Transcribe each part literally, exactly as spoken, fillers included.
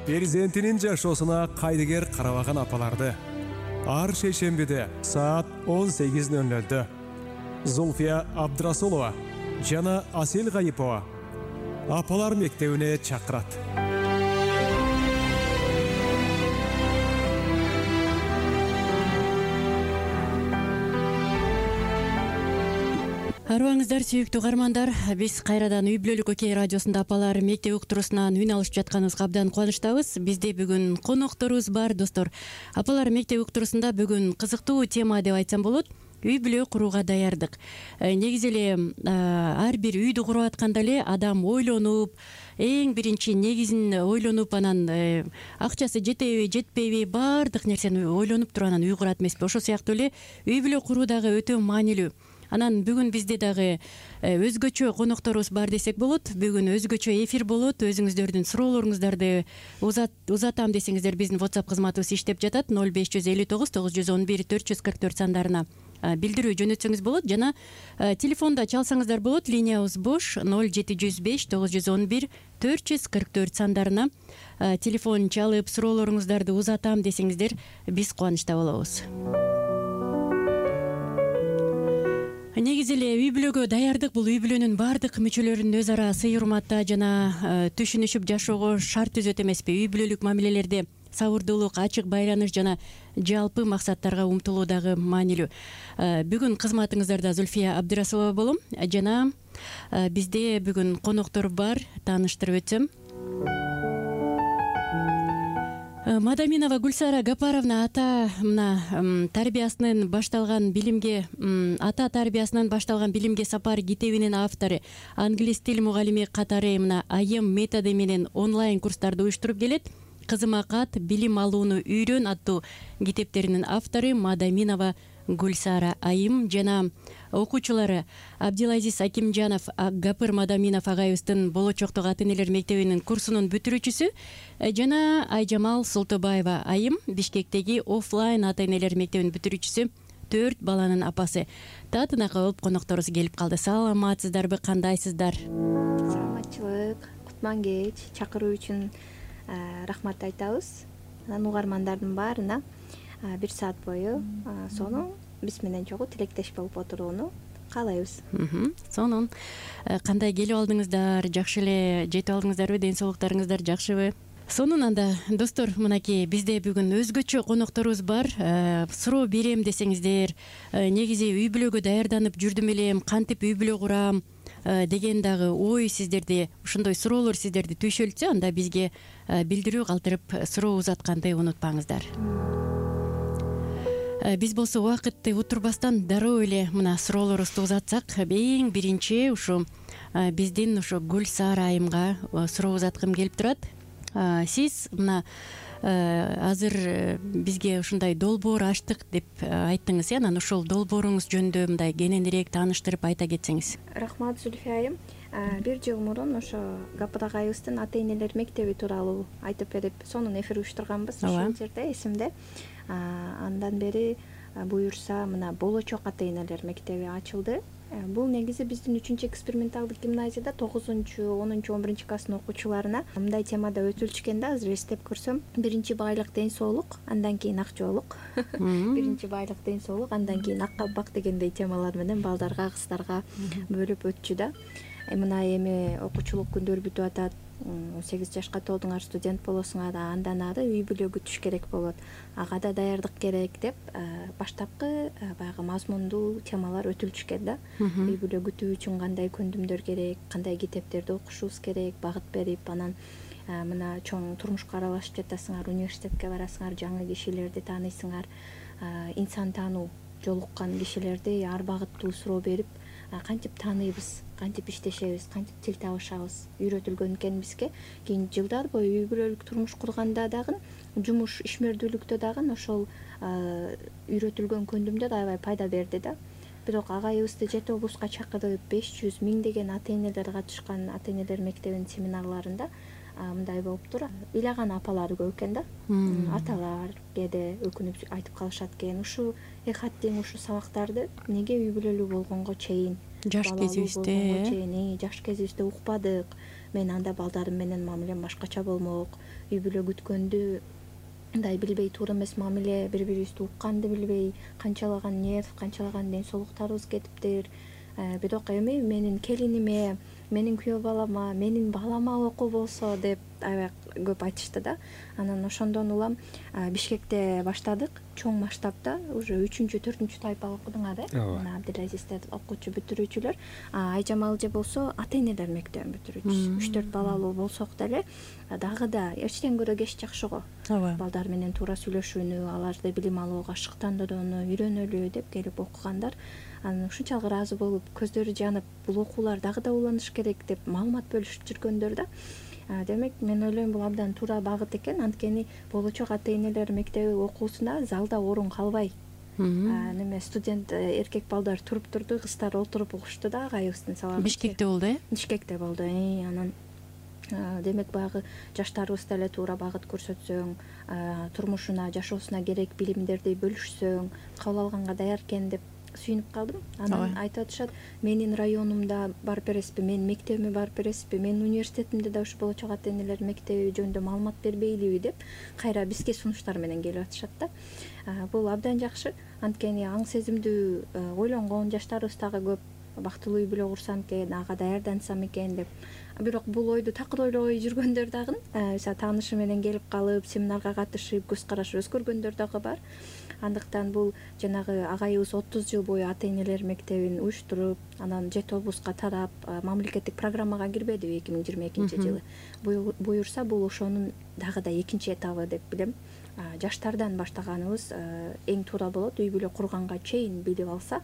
перзентинин жашоосуна кайдыгер карабаган апаларды ар шейшембиде саат он сегиз ноль нолдо Зульфия Абдрасулова жана Асел Гайипова апалар мектебине чакырат. Арыбаңыздар, сүйүктүү угармандар, биз кайрадан Үй бүлөлүк Окей радиосунда апалар мектеп уктуруусунан үн алышып жатканыбызга абдан кубанычтабыз. Бизде бүгүн конокторубуз бар, достор. Апалар мектеп уктуруусунда бүгүн кызыктуу тема деп айтсам болот. Үй бүлө курууга даярдык. Негизи эле ар бир үйдү куруп атканда эле адам ойлонуп, эң биринчи негизин ойлонуп, анан акчасы жетеби, жетпейби, баардык нерсени ойлонуп туруп анан үй курат эмеспи? Ошол сыяктуу эле үй бүлө куруу дагы өтө маанилүү. Анан бүгүн бизде дагы өзгөчө конокторубуз бар десек болот. Бүгүн өзгөчө эфир болот. Өзүңүздөрдүн суроолоруңуздарды узатам десеңиздер, биздин WhatsApp кызматыбыз иштеп жатат. ноль беш жүз элүү тогуз тогуз жүз он бир төрт жүз кырк төрт сандарына билдирүү жөнөтсөңүз болот. Жана телефонда чалсаңыздар болот. Линиябыз бош. ноль жети жүз беш тогуз жүз он бир төрт жүз кырк төрт сандарына телефон чалып суроолоруңуздарды узатам десеңиздер, биз кубанычта болобуз. Негизи эле үй бүлөгө даярдык бул үй бүлөнүн баардык мүчөлөрүнүн өз ара сый урматта жана түшүнүшүп жашоого шарт түзөт эмеспи? Үй бүлөлүк мамилелерде сабырдуулук, ачык байланыш жана жалпы максаттарга умтулуу дагы маанилүү. Бүгүн кызматыңыздарда Зульфия Абдрасулова болом жана бизде бүгүн коноктор бар. Тааныштырып өтсөм, Мадаминова Гульсара Гапаровна ата мына тарбиясынын башталган билимге ата тарбиясынан башталган билимге сапар китебинин автору, англис тил мугалими катары мына айым методу менен онлайн курстарды уюштуруп келет. Кызыма кат, билим алууну үйрөн аттуу китептеринин автору Мадаминова Гульсара айым жана окуучулары Абдилазиз Акимжанов, Гапыр Мадаминов агайыбыздын болочоктук ата-энелер мектебинин курсунун бүтүрүүчүсү жана Айжамал Солтобаева айым Бишкектеги офлайн ата-энелер мектебинин бүтүрүүчүсү, төрт баланын апасы. Татынака болуп конокторубуз келип калды. Саламатсыздарбы, кандайсыздар? Саламатчылык, кутман кеч. Чакыруу үчүн рахмат айтабыз. Анан угармандардын баарына бир саат бою сонун биз менен чогуу тилектеш болуп отурууну каалайбыз. Сонун. Кандай келип алдыңыздар? Жакшы эле жетип алдыңыздарбы? Ден соолуктарыңыздар жакшыбы? Сонун. Анда достор, мынакей бизде бүгүн өзгөчө конокторубуз бар. Суроо берем десеңиздер, негизи үй бүлөгө даярданып жүрдүм элем, кантип үй бүлө курам деген дагы ой сиздерде, ошондой суроолор сиздерди түйшөлтсө, анда бизге билдирүү калтырып суроо узатканды унутпаңыздар. Биз болсо убакытты утурбастан дароо эле мына суроолорубузду узатсак, эң биринчи ушу биздин ушу Гүлсара айымга суроо узаткым келип турат. Сиз мына азыр бизге ушундай долбоор ачтык деп айттыңыз, э? Анан ошол долбооруңуз жөнүндө мындай кененирээк тааныштырып айта кетсеңиз. Рахмат, Зульфия айым. Бир жыл мурун ошо Гапыр агайыбыздын ата-энелер мектеби тууралуу айтып берип, сонун эфир уюштурганбыз ошол жерде, эсимде. Андан бери буюрса мына болочок ата-энелер мектеби ачылды. Бул негизи биздин үчүнчү эксперименталдык гимназияда тогузунчу, онунчу, он биринчи класстын окуучуларына мындай темада өтүлчү да, азыр эстеп көрсөм. Биринчи байлык ден соолук, андан кийин акчолук. Биринчи байлык ден соолук, андан кийин ак кабак дегендей темалар менен балдарга, кыздарга бөлүп өтчү да. Мына эми окуучулук күндөр бүтүп атат. он сегиз жашка толдуңар, студент болосуңар, андан ары үй бүлө күтүш керек болот. Ага да даярдык керек деп баштапкы баягы мазмундуу темалар өтүлчү да. Үй бүлө күтүү үчүн кандай көндүмдөр керек, кандай китептерди окушубуз керек, багыт берип, анан мына чоң турмушка аралашып жатасыңар, университетке барасыңар, жаңы кишилерди тааныйсыңар, инсан таануу жолуккан кишилерди ар багыттуу суроо берип, кантип тааныйбыз, кантип иштешебиз, кантип тил табышабыз үйрөтүлгөн экен бизге. Кийин жылдар бою үй бүлөлүк турмуш курганда дагы, жумуш ишмердүүлүктө дагы ошол үйрөтүлгөн көндүмдөр аябай пайда берди да. Бирок агайыбызды жети облуска чакырып, беш жүз миңдеген ата-энелер катышкан ата-энелер мектебинин семинарларында мындай болуптур. Ыйлаган апалар көп экен да. Аталар кээде өкүнүп айтып калышат экен, ушу эхаттин ушу сабактарды неге үй бүлөлүү болгонго чейин, жаш кезибизде чейин, жаш кезибизде укпадык, мен анда балдарым менен мамилем башкача болмок, үй бүлө күткөндү мындай билбей, туура эмес мамиле, бири бирибизди укканды билбей, канчалаган нерв, канчалаган ден соолуктарыбыз кетиптир. Бирок эми менин келиниме, менин күйөө балама, менин балама окуу болсо деп аябай көп айтышты да. Анан ошондон улам Бишкекте баштадык, чоң масштабта, уже үчүнчү, төртүнчү тайпага окудуңар да. Мына Абдилазиздер окуучу, бүтүрүүчүлөр. Айжамал же болсо ата-энелер мектебин бүтүрүүчүсү. үч төрт балалуу болсок деле дагы да эчтен көрө кеч жакшы го. Балдар менен туура сүйлөшүүнү, аларды билим алууга шыктандырууну үйрөнөлү деп келип окугандар. Анан ушунчалык ыраазы болуп, көздөрү жанып, бул окуулар дагы да уланыш керек деп маалымат бөлүшүп жүргөндөр да. Демек, мен ойлойм, бул абдан туура багыт экен. Анткени болочок ата-энелер мектеби окуусуна залда орун калбай, неме студент эркек балдар туруп турду, кыздар отуруп угушту да агайыбыздын сабагы. Бишкекте болду э? Бишкекте болду. Анан демек баягы жаштарыбыз деле туура багыт көрсөтсөң, турмушуна, жашоосуна керек билимдерди бөлүшсөң, кабыл алганга даяр экен деп сүйүнүп калдым. Анан айтып атышат, менин районумда барып бересизби, менин мектебиме барып бересизби, менин университетимде да ушу болочок ата-энелер мектеби жөнүндө маалымат бербейлиби деп кайра бизге сунуштар менен келип атышат да. Бул абдан жакшы. Анткени аң сезимдүү ойлонгон жаштарыбыз дагы көп, бактылуу үй бүлө курсам экен, ага даярдансам экен деп. Бирок бул ойду такыр ойлобой жүргөндөр дагы, мисалы таанышы менен келип калып, семинарга катышып, көз карашы өзгөргөндөр дагы бар. Андыктан бул жанагы агайыбыз отуз жыл бою ата-энелер мектебин уюштуруп, анан жети облуска тарап, мамлекеттик программага кирбедиби эки миң жыйырма экинчи жылы. Буюрса, бул ошонун дагы да экинчи этабы деп билем. Жаштардан баштаганыбыз эң туура болот. Үй бүлө курганга чейин билип алса,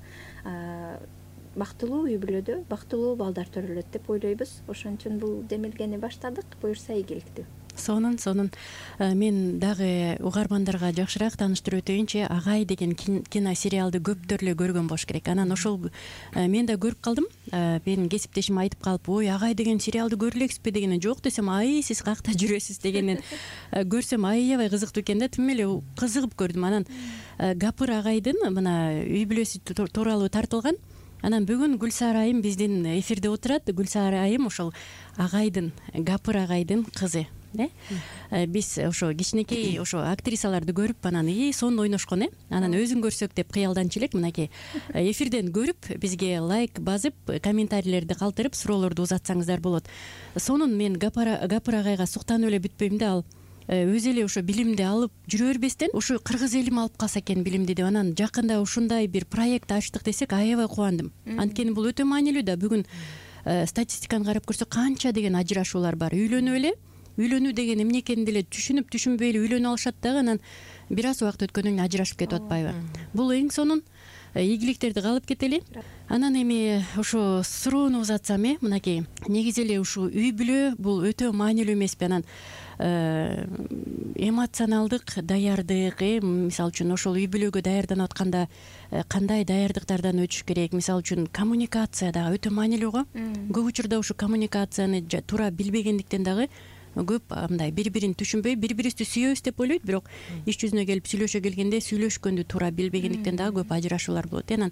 бактылуу үй бүлөдө бактылуу балдар төрөлөт деп ойлойбуз. Ошон үчүн бул демилгени баштадык. Буюрса ийгиликтүү. Сонун, сонун. Мен дагы угармандарга жакшыраак тааныштырып өтөйүнчү, Агай деген кино сериалды көптөр эле көргөн болуш керек. Анан ошол мен да көрүп калдым. Менин кесиптешим айтып калып, ой, Агай деген сериалды көрө элексизби дегенде, жок десем, ай, сиз каякта жүрөсүз дегенен көрсөм аябай кызыктуу экен да. Тим эле кызыгып көрдүм. Анан Гапыр агайдын мына үй бүлөсү тууралуу тартылган. Анан бүгүн Гүлсара айым биздин эфирде отурат. Гүлсара айым ошол агайдын, Гапыр агайдын кызы. Биз ошо кичинекей ошо актрисаларды көрүп, анан и сонун ойношкон э. Анан өзүн көрсөк деп кыялданчу элек. Мынакей эфирден көрүп, бизге лайк басып, комментарийлерди калтырып, суроолорду узатсаңыздар болот. Сонун мен Гапыр агайга суктанып эле бүтпөйм да, ал өзү эле ошо билимди алып жүрө бербестен, ушу кыргыз элим алып калса экен билимди деп, анан жакында ушундай бир проект ачтык десек аябай кубандым. Анткени бул өтө маанилүү да. Бүгүн статистиканы карап көрсөк, канча деген ажырашуулар бар. Үйлөнүп эле, үйлөнүү деген эмне экенин деле түшүнүп түшүнбөй эле үйлөнүп алышат дагы, анан бир аз убакыт өткөндөн кийин ажырашып кетип атпайбы. Бул эң сонун. Ийгиликтерди каалап кетели. Анан эми ошо суроону узатсам э, мынакей негизи эле ушу үй бүлө бул өтө маанилүү эмеспи? Анан эмоционалдык даярдык, э, мисалы үчүн ошол үй бүлөгө даярданып атканда кандай даярдыктардан өтүш керек? Мисалы үчүн коммуникация дагы өтө маанилүү го. Көп учурда ушу коммуникацияны туура билбегендиктен дагы көп мындай бири-бирин түшүнбөй, бири-бирибизди сүйөбүз деп ойлойт, бирок иш жүзүнө келип сүйлөшө келгенде сүйлөшкөндү туура билбегендиктен дагы көп ажырашуулар болот. Анан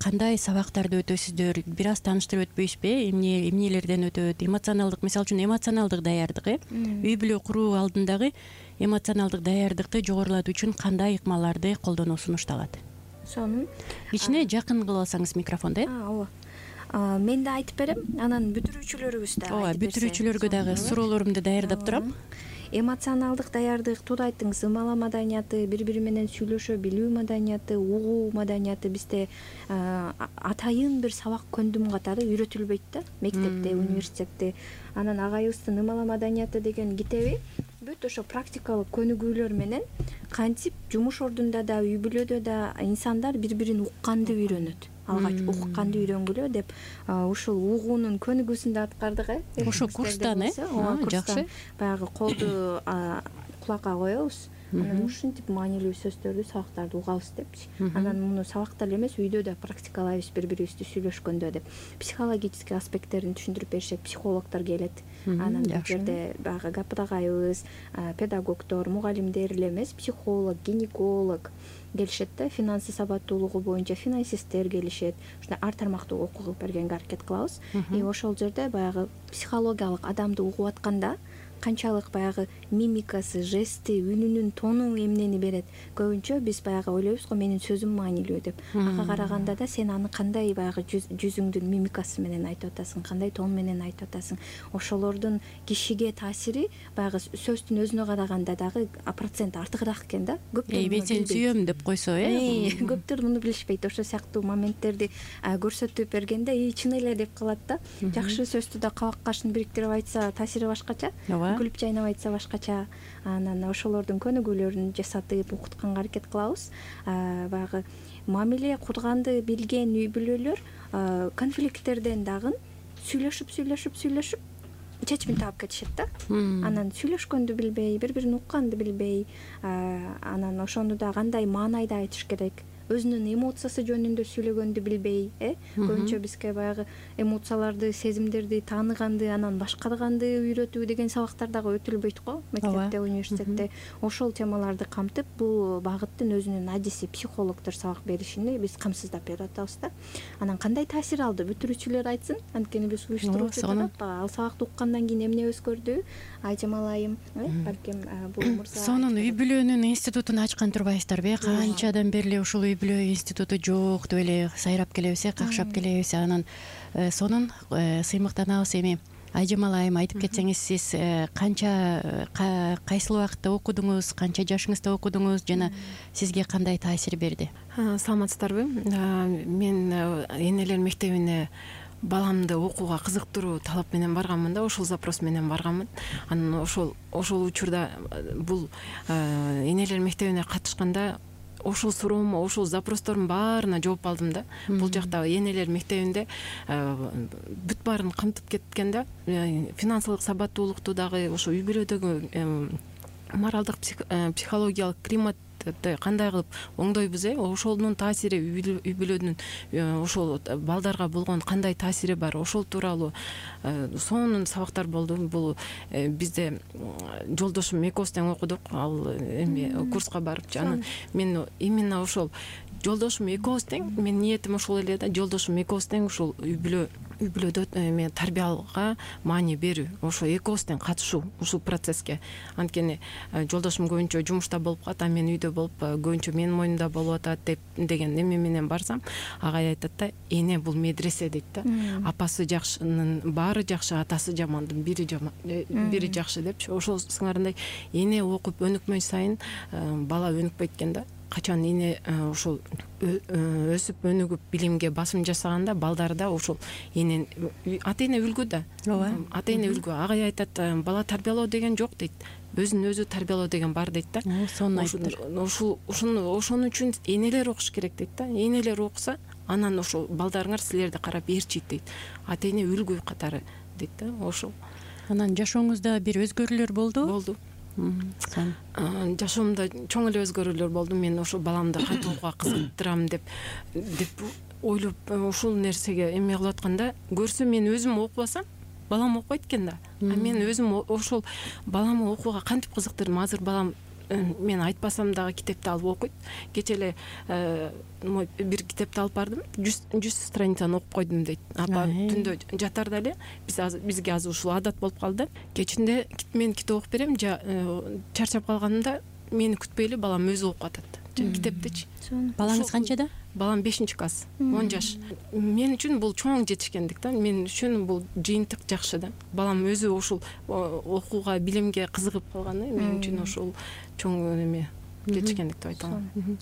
кандай сабактарды өтөсүздөр, бир аз тааныштырып өтпөйсүзбү? Эмне эмнелерден өтөт? Эмоционалдык, мисалы үчүн эмоционалдык даярдык, э? Үй бүлө куруу алдындагы эмоционалдык даярдыкты жогорулатуу үчүн кандай ыкмаларды колдонуу сунушталат? Сонун. Кичине жакын кылып алсаңыз микрофонду, э? Ооба. Мен да айтып берем, анан бүтүрүүчүлөрүбүз да ооба, бүтүрүүчүлөргө дагы суроолорумду даярдап турам. Эмоционалдык даярдык, туура айттыңыз, ымала маданияты, бири-бири менен сүйлөшө билүү маданияты, угуу маданияты бизде атайын бир сабак көндүм катары үйрөтүлбөйт да, мектепте, университетте. Анан агайыбыздын ымала маданияты деген китеби бүт ошо практикалык көнүгүүлөр менен кантип жумуш ордунда да, үй бүлөдө да инсандар бири-бирин укканды үйрөнөт. Алгач укканды үйрөнгүлө деп ушул угуунун көнүгүүсүн да аткардык, э? Ошо курстан, э? Жакшы. Баягы колду кулакка коебуз, анан ушинтип маанилүү сөздөрдү, сабактарды угабыз депчи. Анан муну сабакта эле эмес, үйдө да практикалайбыз бири бирибизди сүйлөшкөндө деп. Психологический аспекттерин түшүндүрүп беришет, психологдор келет. Анан бул жерде баягы гапыдагайыбыз, педагогдор, мугалимдер эле эмес, психолог, гинеколог келишет да, финансы сабаттуулугу боюнча финансисттер келишет. Ушундай ар тармактуу окуу кылып бергенге аракет кылабыз. И ошол жерде баягы психологиялык адамды угуп атканда канчалык баягы мимикасы, жести, үнүнүн тону эмнени берет. Көбүнчө биз баягы ойлойбуз го, менин сөзүм маанилүү деп. Ага караганда да сен аны кандай баягы жүзүңдүн мимикасы менен айтып атасың, кандай тон менен айтып атасың. Ошолордун кишиге таасири баягы сөздүн өзүнө караганда дагы процент артыгыраак экен да. Көптөр мен сени сүйөм деп койсо, э? Көптөр муну билишпейт. Ошол сыяктуу моменттерди көрсөтүп бергенде, и чын эле деп калат да. Жакшы сөздү да кабак кашын бириктирип айтса таасири башкача. Күлүп жайнап айтса башкача. Анан ошолордун көнүгүүлөрүн жасатып окутканга аракет кылабыз. Баягы мамиле курганды билген үй бүлөлөр конфликттерден дагы сүйлөшүп сүйлөшүп сүйлөшүп чечимин таап кетишет да. Анан сүйлөшкөндү билбей, бири бирин укканды билбей, анан ошону да кандай маанайда айтыш керек, өзүнүн эмоциясы жөнүндө сүйлөгөндү билбей, э көбүнчө бизге баягы эмоцияларды, сезимдерди тааныганды, анан башкарганды үйрөтүү деген сабактар дагы өтүлбөйт го мектепте, университетте. Ошол темаларды камтып, бул багыттын өзүнүн адиси, психологдор сабак беришини биз камсыздап берип атабыз да. Анан кандай таасир алды, бүтүрүүчүлөр айтсын, анткени биз уюштуруп жатабыз. Ал сабакты уккандан кийин эмне өзгөрдү, айжамал айым, балким бул мырза. Сонун үй бүлөнүн институтун ачкан турбайсыздарбы? Канчадан бери эле ушул үй бүлө институту жок деп эле сайрап келебиз, э, какшап келебиз. Анан сонун сыймыктанабыз. Эми Айжамал айым, айтып кетсеңиз, сиз канча кайсыл убакытта окудуңуз, канча жашыңызда окудуңуз жана сизге кандай таасир берди? Саламатсыздарбы? Мен энелер мектебине баламды окууга кызыктыруу талап менен барганмын да, ошол запрос менен барганмын. Анан ошол ошол учурда бул энелер мектебине катышканда ошол суроомо, ошол запростордун баарына жооп алдым да. Бул жакта энелер мектебинде бүт баарын камтып кеткен да. Финансылык сабаттуулукту дагы, ошо үй бүлөдөгү моралдык, психологиялык климат кандай кылып оңдойбуз, э ошонун таасири, үй бүлөнүн ошол балдарга болгон кандай таасири бар, ошол тууралуу сонун сабактар болду. Бул бизде жолдошум экөөбүз тең окудук, ал эми курска барып. Анан мен именно ошол жолдошум экөөбүз тең, менин ниетим ошол эле да, жолдошум экөөбүз тең ушул үй бүлө үй бүлөдө эме тарбияга маани берүү, ошо экөөбүз тең катышуу ушул процесске. Анткени жолдошум көбүнчө жумушта болуп калат, а мен үйдө болуп көбүнчө менин моюнумда болуп атат деп деген эме менен барсам, агай айтат да, эне бул медресе дейт да. Апасы жакшынын баары жакшы, атасы жамандын бири жаман, бири жакшы депчи. Ошол сыңарындай эне окуп өнүкмөй сайын бала өнүкпөйт экен да. Качан эне ошол өсүп өнүгүп билимге басым жасаганда, балдар да ошол эне ата эне үлгү да. Ата эне үлгү. Агай айтат, бала тарбиялоо деген жок дейт. Өзүн өзү тарбиялоо деген бар дейт да. Сонун айттыр. Ошол ошону ошон үчүн энелер окуш керек дейт да. Энелер окуса, анан ошол балдарыңар силерди карап ээрчийт дейт. Ата эне үлгү катары дейт да. Ошол. Анан жашооңузда бир өзгөрүүлөр болду? Болду. Жашоомдо чоң эле өзгөрүүлөр болду. Мен ошо баламды кантип окууга кызыктырам деп деп ойлоп ушул нерсеге эме кылып атканда, көрсөм мен өзүм окубасам, балам окуйт экен да. А мен өзүм ошол баламы окууга кантип кызыктырдым. Азыр балам мен айтпасам дагы китепти алып окуйт. Кече эле бир китепти алып бардым, жүз страницаны окуп койдум дейт. Апа түндө жатарда эле биз бизге азыр ушул адат болуп калды. Кечинде мен китеп окуп берем, чарчап калганымда мени күтпөй эле балам өзү окуп атат. Китептичи. Балаңыз канчада? Балам бешинчи класс, он жаш. Мен үчүн бул чоң жетишкендик да. Мен үчүн бул жыйынтык жакшы да. Балам өзү ошол окууга, билимге кызыгып калганы мен үчүн ошол чоң эме жетишкендик деп айта алам.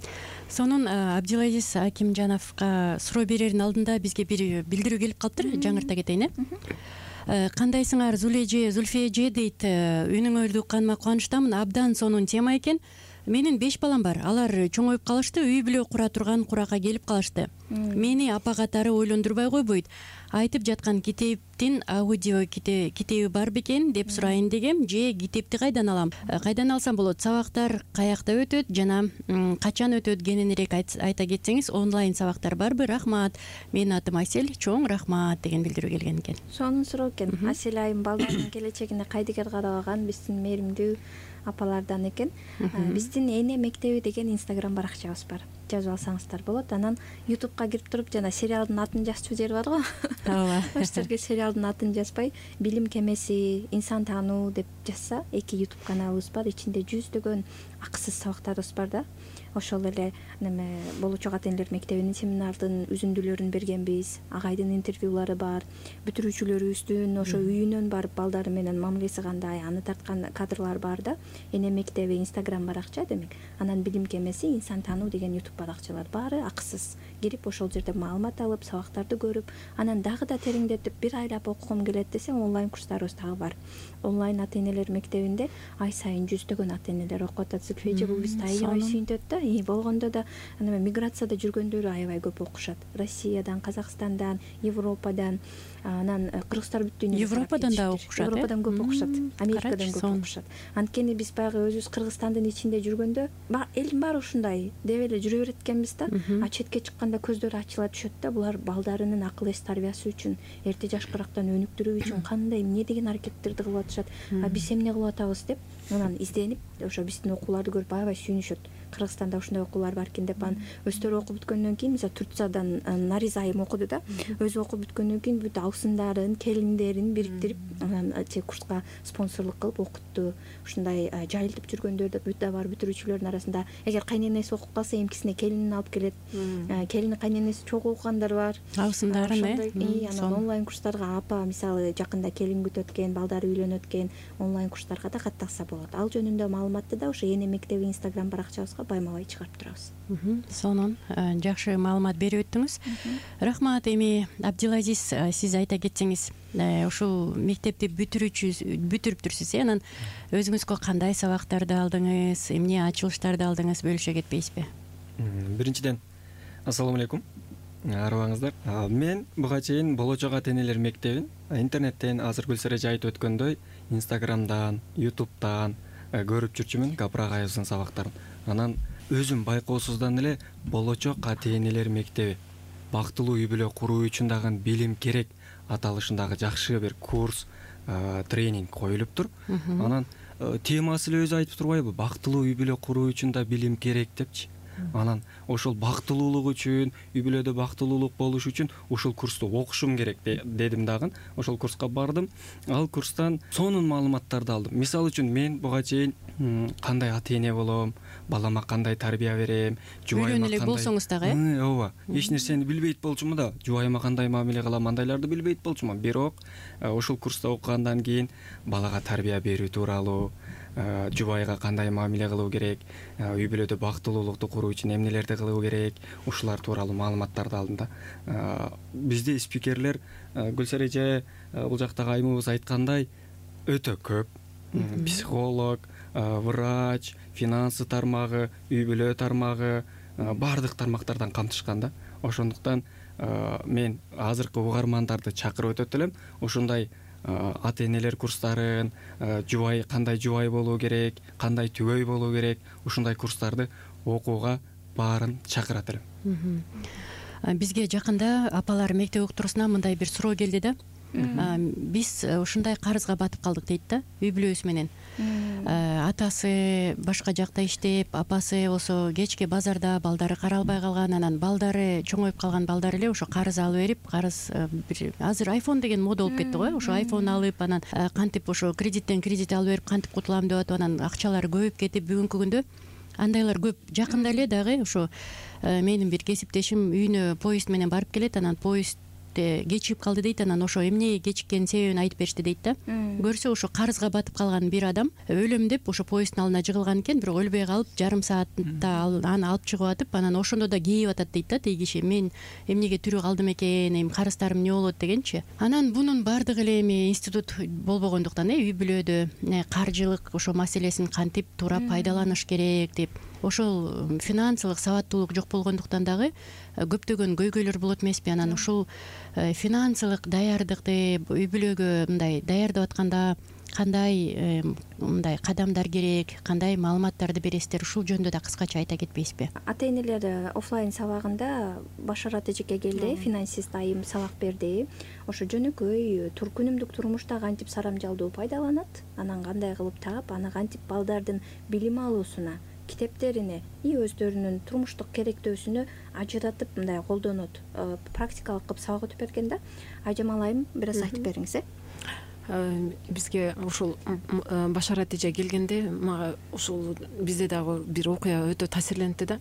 Сонун Абдилазиз Акимжановго суроо берердин алдында бизге бир билдирүү келип калыптыр. Жаңырта кетейин, э. Кандайсыңар Зулфия эже дейт. Үнүңөрдү укканыма кубанычтамын. Абдан сонун тема экен. Менин беш балам бар. Алар чоңоюп калышты, үй бүлө кура турган куракка келип калышты. Мени апа катары ойлондурбай койбойт. Айтып жаткан китептин аудио китеби бар бекен деп сурайын дегем, же китепти кайдан алам? Кайдан алсам болот? Сабактар каякта өтөт жана качан өтөт кененирээк айта кетсеңиз, онлайн сабактар барбы? Рахмат. Менин атым Асель, чоң рахмат деген билдирүү келген экен. Сонун суроо экен. Асель айым балдардын келечегине кайдыгер карабаган биздин мээримдүү апалардан экен. Биздин эне мектеби деген инстаграм баракчабыз бар. Жазып алсаңыздар болот. Анан ютубка кирип туруп жана сериалдын атын жазчу жери бар го. Ооба. Башкача сериалдын атын жазбай, билим кемеси, инсан таануу деп жазса, эки ютуб каналыбыз бар. Ичинде жүздөгөн акысыз сабактарыбыз бар да. Ошол эле неме болочок ата энелер мектебинин семинардын үзүндүлөрүн бергенбиз. Агайдын интервьюлары бар. Бүтүрүүчүлөрүбүздүн ошо үйүнөн барып балдары менен мамилеси кандай, аны тарткан кадрлар бар да. Эне мектеби инстаграм баракча демек. Анан билим кемеси, инсан таануу деген ютуб баракчалар баары акысыз. Кирип ошол жерде маалымат алып, сабактарды көрүп, анан дагы да тереңдетип бир айлап окугум келет десең, онлайн курстарыбыз дагы бар. Онлайн ата энелер мектебинде ай сайын жүздөгөн ата энелер окуп атат. Сүкфежи бул бизди аябай сүйүнтөт да. И болгондо да ана миграцияда жүргөндөр аябай көп окушат. Россиядан, Казакстандан, Европадан, анан кыргыздар бүт дүйнөдөн Европадан да окушат. Европадан көп окушат. Америкадан көп окушат. Анткени биз баягы өзүбүз Кыргызстандын ичинде жүргөндө, элдин баары ушундай деп эле жүрө берет экенбиз да. А четке чыкканда көздөрү ачыла түшөт да. Булар балдарынын акыл эс тарбиясы үчүн, эрте жашкырактан өнүктүрүү үчүн кандай эмне деген аракеттерди кылып атышат. А биз эмне кылып атабыз деп, анан изденип, ошо биздин окууларды көрүп аябай сүйүнүшөт. Кыргызстанда ушундай окуулар бар экен деп, анан өздөрү окуп бүткөндөн кийин, мисалы Турциядан Нариза айым окуду да. Өзү окуп бүткөндөн кийин бүт абысындарын, келиндерин бириктирип, анан че курска спонсорлук кылып окутту. Ушундай жайылтып жүргөндөр да бүт да бар бүтүрүүчүлөрдүн арасында. Эгер кайненеси окуп калса, эмкисине келинин алып келет. Келини кайненеси чогуу окугандар бар. Абысындарын, э. Анан онлайн курстарга апа, мисалы жакында келин күтөт экен, балдары үйлөнөт экен, онлайн курстарга да каттакса болот. Ал жөнүндө маалыматты да ошо эне мектеби инстаграм баракчабызга баймабай чыгарып турабыз. Сонун жакшы маалымат берип өттүңүз. Рахмат. Эми Абдилазиз, сиз айта кетсеңиз, ушул мектепти бүтүрүүчү бүтүрүптүрсүз, э? Анан өзүңүзгө кандай сабактарды алдыңыз, эмне ачылыштарды алдыңыз, бөлүшө кетпейсизби? Биринчиден, ассаламу алейкум. Арыбаңыздар. Мен буга чейин болочок ата энелер мектебин интернеттен азыр Гүлсара айтып өткөндөй, инстаграмдан, ютубтан көрүп жүрчүмүн Капрагайыбыздын сабактарын. Анан өзүм байкоосуздан эле болочок ата энелер мектеби бактылуу үй бүлө куруу үчүн дагы билим керек аталышындагы жакшы бир курс, тренинг коюлуптур. Анан темасы эле өзү айтып турбайбы? Бактылуу үй бүлө куруу үчүн да билим керек депчи. Анан ошол бактылуулук үчүн, үй бүлөдө бактылуулук болуш үчүн ушул курсту окушум керек дедим дагы. Ошол курска бардым. Ал курстан сонун маалыматтарды алдым. Мисалы үчүн мен буга чейин кандай ата эне болом, балама кандай тарбия берем, жубайыма кандай болсоңуз дагы, э? Ооба. Эч нерсени билбейт болчумун да, жубайыма кандай мамиле кылам, андайларды билбейт болчумун. Бирок ошол курста окугандан кийин балага тарбия берүү тууралуу, жубайга кандай мамиле кылуу керек, үй бүлөдө бактылуулукту куруу үчүн эмнелерди кылуу керек, ушулар тууралуу маалыматтарды алдым да. Бизде спикерлер Гүлсара эже, бул жактагы айымыбыз айткандай, өтө көп. Психолог, врач, финансы тармагы, үй бүлө тармагы, баардык тармактардан камтышкан да. Ошондуктан мен азыркы угармандарды чакырып өтөт элем. Ошондой ата энелер курстарын, жубай кандай жубай болуу керек, кандай түгөй болуу керек, ушундай курстарды окууга баарын чакырат элем. Бизге жакында апалар мектеп уктуруусунан мындай бир суроо келди да. Биз ушундай карызга батып калдык дейт да, үй бүлөбүз менен. Атасы башка жакта иштеп, апасы болсо кечке базарда, балдары каралбай калган, анан балдары чоңоюп калган балдар эле ошо карыз алып берип, карыз азыр айфон деген мода болуп кетти го, ошо айфон алып, анан кантип ошо кредиттен кредит алып берип кантип кутулам деп атып, анан акчалары көбөйүп кетип, бүгүнкү күндө андайлар көп. Жакында эле дагы ошо менин бир кесиптешим үйүнө поезд менен барып келет, анан поезд кечигип калды дейт. Анан ошо эмне кечиккенин себебин айтып беришти дейт да. Көрсө ошо карызга батып калган бир адам өлөм деп ошо поезддин алдына жыгылган экен, бирок өлбөй калып жарым саатта аны алып чыгып атып, анан ошондо да кейип атат дейт да тиги киши. Мен эмнеге тирүү калдым экен, эми карыздарым эмне болот дегенчи. Анан бунун баардыгы эле эми институт болбогондуктан үй бүлөдө каржылык ошо маселесин кантип туура пайдаланыш керек деп, ошол финансылык сабаттуулук жок болгондуктан дагы көптөгөн көйгөйлөр болот эмеспи. Анан ушул финансылык даярдыкты үй бүлөгө мындай даярдап атканда кандай мындай кадамдар керек, кандай маалыматтарды бересиздер, ушул жөнүндө да кыскача айта кетпейсизби? Ата энелер офлайн сабагында Башарат эжеке келди, финансист айым сабак берди. Ошо жөнөкөй күнүмдүк турмушта кантип сарамжалдуу пайдаланат, анан кандай кылып таап, аны кантип балдардын билим алуусуна, китептерине и өздөрүнүн турмуштук керектөөсүнө ажыратып мындай колдонот, практикалык кылып сабак өтүп берген да. Айжамал айым, бир аз айтып бериңиз. Бизге ушул Башарат эже келгенде мага ушул бизде дагы бир окуя өтө таасирлентти да.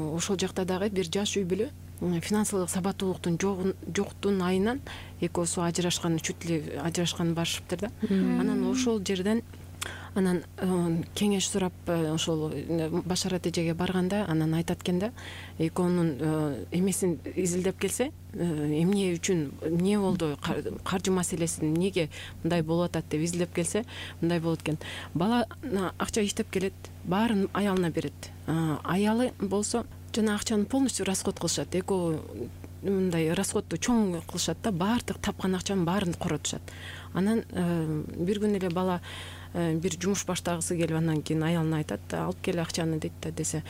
Ошол жакта дагы бир жаш үй бүлө финансылык сабаттуулуктун жоктун айынан экөөсү ажырашкан, чүт эле ажырашкан барышыптыр да. Анан ошол жерден анан кеңеш сурап ошол Башарат эжеге барганда анан айтат экен да, экөөнүн эмесин изилдеп келсе, эмне үчүн эмне болду, каржы маселеси эмнеге мындай болуп атат деп изилдеп келсе, мындай болот экен. Бала акча иштеп келет, баарын аялына берет. Аялы болсо жана акчаны полностью расход кылышат. Экөө мындай расходду чоң кылышат да, баардык тапкан акчанын баарын коротушат. Анан бир күнү эле бала бир жумуш баштагысы келип, анан кийин аялына айтат, алып кел акчаны дейт да, десе,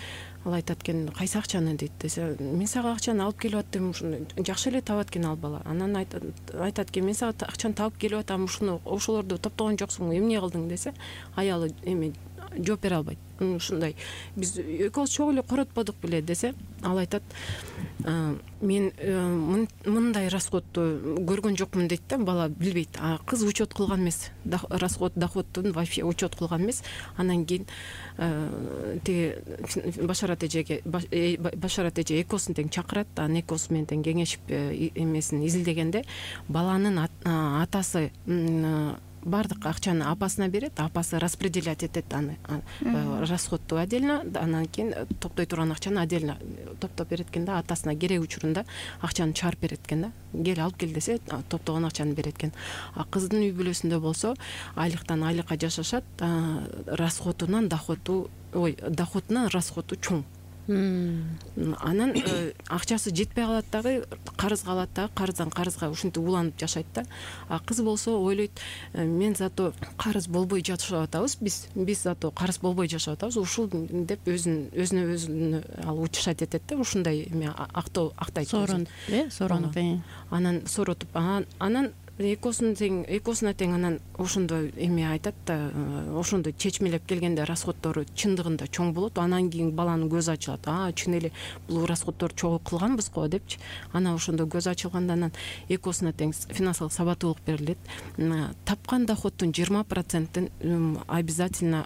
ал айтат экен, кайсы акчаны дейт, десе, мен сага акчаны алып келип аттым, ушуну жакшы эле табат экен ал бала. Анан айтат экен, мен сага акчаны табып келип атам, ушуну ошолорду топтогон жоксуң, эмне кылдың десе, аялы эми жооп бере албайт. Ушундай, биз экөөбүз чогуу эле коротподук беле десе, ал айтат, мен мындай расходду көргөн жокмун дейт да, бала билбейт. А кыз учет кылган эмес, расход доходтун вообще учет кылган эмес. Анан кийин тиги Башарат эжеге Башарат эже экөөсүн тең чакырат, анан экөөсү менен тең кеңешип эмесин изилдегенде баланын атасы баардык акчаны апасына берет, апасы распределять этет аны, расходду отдельно, анан кийин топтой турган акчаны отдельно топтоп берет экен да, атасына керек учурунда акчаны чыгарып берет экен да. Кел алып кел десе, топтогон акчаны берет экен. А кыздын үй бүлөсүндө болсо, айлыктан айлыкка жашашат, расходунан доходу, ой, доходунан расходу чоң. Анан акчасы жетпей калат дагы, карызга алат дагы, карыздан карызга ушинтип уланып жашайт да. А кыз болсо ойлойт, мен зато карыз болбой жашап атабыз, биз биз зато карыз болбой жашап атабыз, ушул деп өзүн өзүнө өзүн ал утешать этет да, ушундай эме актоо актайт. Сорон, э, соронуп. Анан соротуп, анан экөөсүн тең экөөсүнө тең анан ошондо эме айтат да, ошондо чечмелеп келгенде расходдору чындыгында чоң болот. Анан кийин баланын көзү ачылат. А, чын эле бул расходдорду чогуу кылганбыз го депчи. Анан ошондо көзү ачылганда анан экөөсүнө тең финансылык сабаттуулук берилет. Тапкан доходдун жыйырма процентин обязательно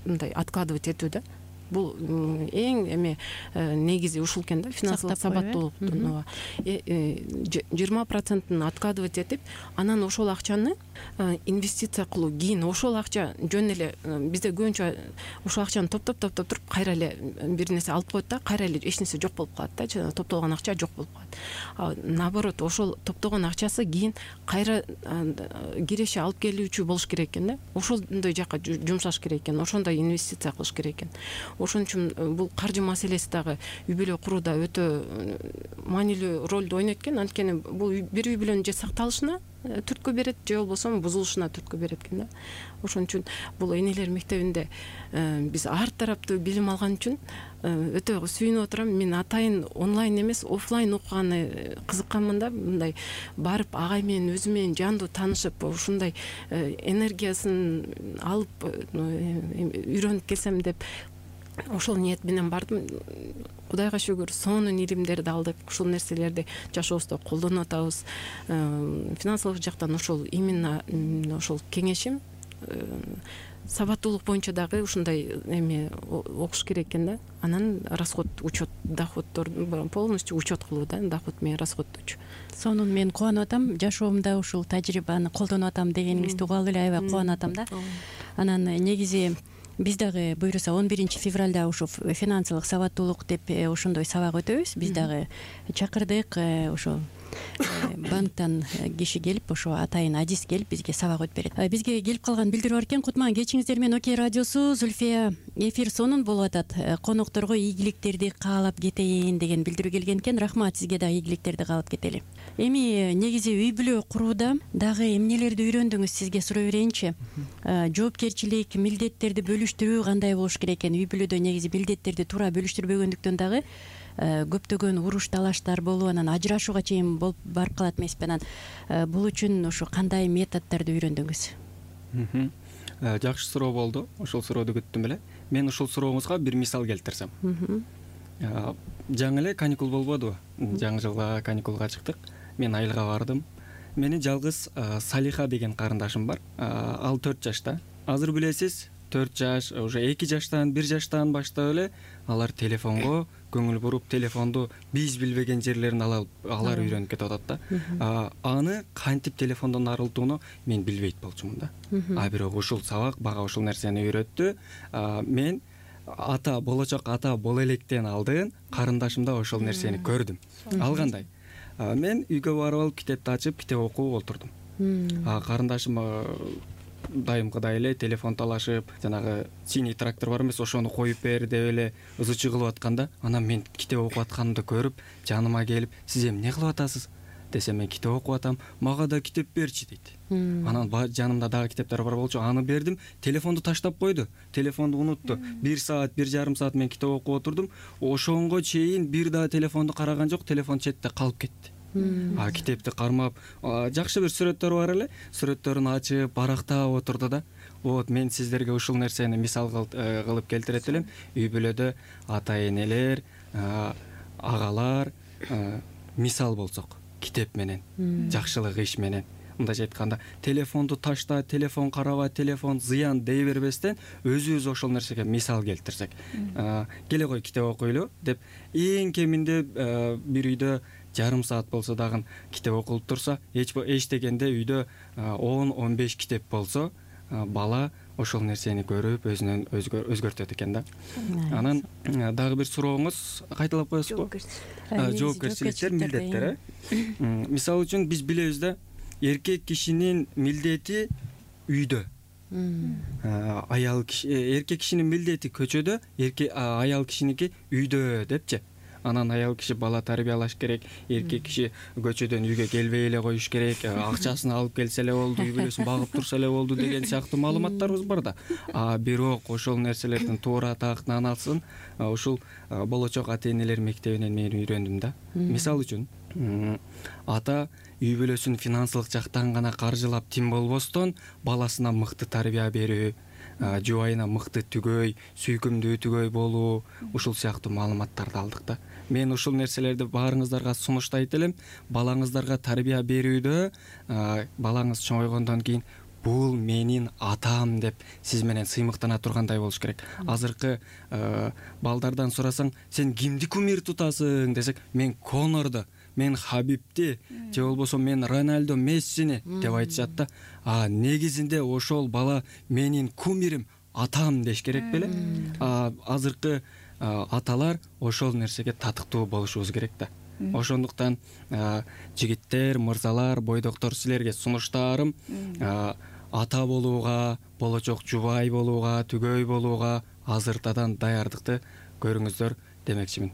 мындай откладывать этүү да. Бул эң эме негизи ушул экен да, финансылык сабаттуулуктун жыйырма процентин откладывать этип, анан ошол акчаны инвестиция кылуу. Кийин ошол акча жөн эле бизде көбүнчө ошол акчаны топтоп топтоп туруп кайра эле бир нерсе алып коет да, кайра эле эч нерсе жок болуп калат да, топтолгон акча жок болуп калат. Наоборот, ошол топтогон акчасы кийин кайра киреше алып келүүчү болуш керек экен да. Ошондой жакка жумшаш керек экен, ошондой инвестиция кылыш керек экен. Ошон үчүн бул каржы маселеси дагы үй бүлө курууда өтө маанилүү ролду ойнойт экен. Анткени бул бир үй бүлөнүн же сакталышына түрткү берет, же болбосо бузулушуна түрткү берет экен да. Ошон үчүн бул энелер мектебинде биз ар тараптуу билим алган үчүн өтө сүйүнүп отурам. Мен атайын онлайн эмес, офлайн окуганы кызыкканмын да. Мындай барып агай менен өзү менен жандуу таанышып, ушундай энергиясын алып үйрөнүп келсем деп ошол ниет менен бардым. Кудайга шүгүр, сонун илимдерди алдык. Ушул нерселерди жашообузда колдонуп атабыз. Финансылык жактан ошол именно ошол кеңешим сабаттуулук боюнча дагы ушундай эме окуш керек экен да. Анан расход, учет, доходдор полностью учет кылуу да, доход менен расходдучу. Сонун мен кубанып атам, жашоомдо ушул тажрыйбаны колдонуп атам дегениңизди угуп алып эле аябай кубанып атам да. Анан негизи биз дагы буюрса он биринчи февралда ушу финансылык сабаттуулук деп ошондой сабак өтөбүз. Биз дагы чакырдык, ошо банктан киши келип, ошо атайын адис келип бизге сабак өтүп берет. Бизге келип калган билдирүү бар экен. Кутман кечиңиздер менен Окей радиосу, Зульфия эфир сонун болуп атат. Конокторго ийгиликтерди каалап кетейин деген билдирүү келген экен. Рахмат, сизге да ийгиликтерди каалап кетели. Эми негизи үй бүлө курууда дагы эмнелерди үйрөндүңүз, сизге сурай берейинчи. Жоопкерчилик, милдеттерди бөлүштүрүү кандай болуш керек экен? Үй бүлөдө негизи милдеттерди туура бөлүштүрбөгөндүктөн дагы көптөгөн уруш талаштар болуп, анан ажырашууга чейин болуп барып калат эмеспи. Анан бул үчүн ошо кандай методдорду үйрөндүңүз? Жакшы суроо болду. Ошол сурооду күттүм эле. Мен ушул сурооңузга бир мисал келтирсем. Жаңы эле каникул болбодубу? Жаңы жылга каникулга чыктык. Мен айылга бардым. Менин жалгыз Салиха деген карындашым бар. Ал төрт жашта. Азыр билесиз, төрт жаш, уже эки жаштан, бир жаштан баштап эле алар телефонго көңүл буруп, телефонду биз билбеген жерлерин алып, алар үйрөнүп кетип атат да. Аны кантип телефондон арылтууну мен билбейт болчумун да. А бирок ушул сабак бага ушул нерсени үйрөттү. Мен ата, болочок ата боло электен алдын карындашымда ошол нерсени көрдүм. Ал кандай? Мен үйгө барып алып китепти ачып, китеп окуп олтурдум. Карындашым дайымкыдай эле телефон талашып, жанагы синий трактор бар эмес, ошону коюп бер деп эле ызычы кылып атканда, анан мен китеп окуп атканымды көрүп, жаныма келип, сиз эмне кылып атасыз десем, мен китеп окуп атам, мага да китеп берчи дейт. Анан жанымда дагы китептер бар болчу, аны бердим, телефонду таштап койду, телефонду унутту. Бир саат, бир жарым саат мен китеп окуп отурдум, ошонго чейин бир да телефонду караган жок, телефон четте калып кетти. А китепти кармап, жакшы бир сүрөттөр бар эле, сүрөттөрүн ачып, барактап отурду да. Вот мен сиздерге ушул нерсени мисал кылып келтирет элем. Үй бүлөдө ата-энелер, агалар мисал болсок, китеп менен, жакшылык иш менен, мындайча айтканда, телефонду ташта, телефон караба, телефон зыян дей бербестен, өзүбүз ошол нерсеге мисал келтирсек, келе кой китеп окуйлу деп, эң кеминде бир үйдө жарым саат болсо дагы китеп окулуп турса, эч дегенде үйдө он он беш китеп болсо, бала ошол нерсени көрүп өзүнөн өзгөртөт экен да. Анан дагы бир сурооңуз кайталап коесузбу? Жоопкерчиликтер, милдеттер. Мисалы үчүн биз билебиз да, эркек кишинин милдети үйдө. Аял киши, эркек кишинин милдети көчөдө, аял кишиники үйдө депчи. Анан аял киши бала тарбиялаш керек, эркек киши көчөдөн үйгө келбей эле коюш керек, акчасын алып келсе эле болду, үй бүлөсүн багып турса эле болду деген сыяктуу маалыматтарыбыз бар да. А бирок ошол нерселердин туура тактаналсын ушул болочок ата-энелер мектебинен мен үйрөндүм да. Мисалы үчүн, ата үй бүлөсүн финансылык жактан гана каржылап тим болбостон, баласына мыкты тарбия берүү, жубайына мыкты түгөй, сүйкүмдүү түгөй болуу, ушул сыяктуу маалыматтарды алдык да. Мен ушул нерселерди баарыңыздарга сунуштайт элем. Балаңыздарга тарбия берүүдө, балаңыз чоңойгондон кийин бул менин атам деп сиз менен сыймыктана тургандай болуш керек. Азыркы балдардан сурасаң, сен кимди кумир тутасың десек, мен Конорду, мен Хабибти, же болбосо мен Роналдо, Мессини деп айтышат да. А негизинде ошол бала менин кумирим, атам деш керек беле? Азыркы аталар ошол нерсеге татыктуу болушубуз керек да. Ошондуктан жигиттер, мырзалар, бойдоктор, силерге сунуштарым ата болууга, болочок жубай болууга, түгөй болууга азыртадан даярдыкты көрүңүздөр демекчимин.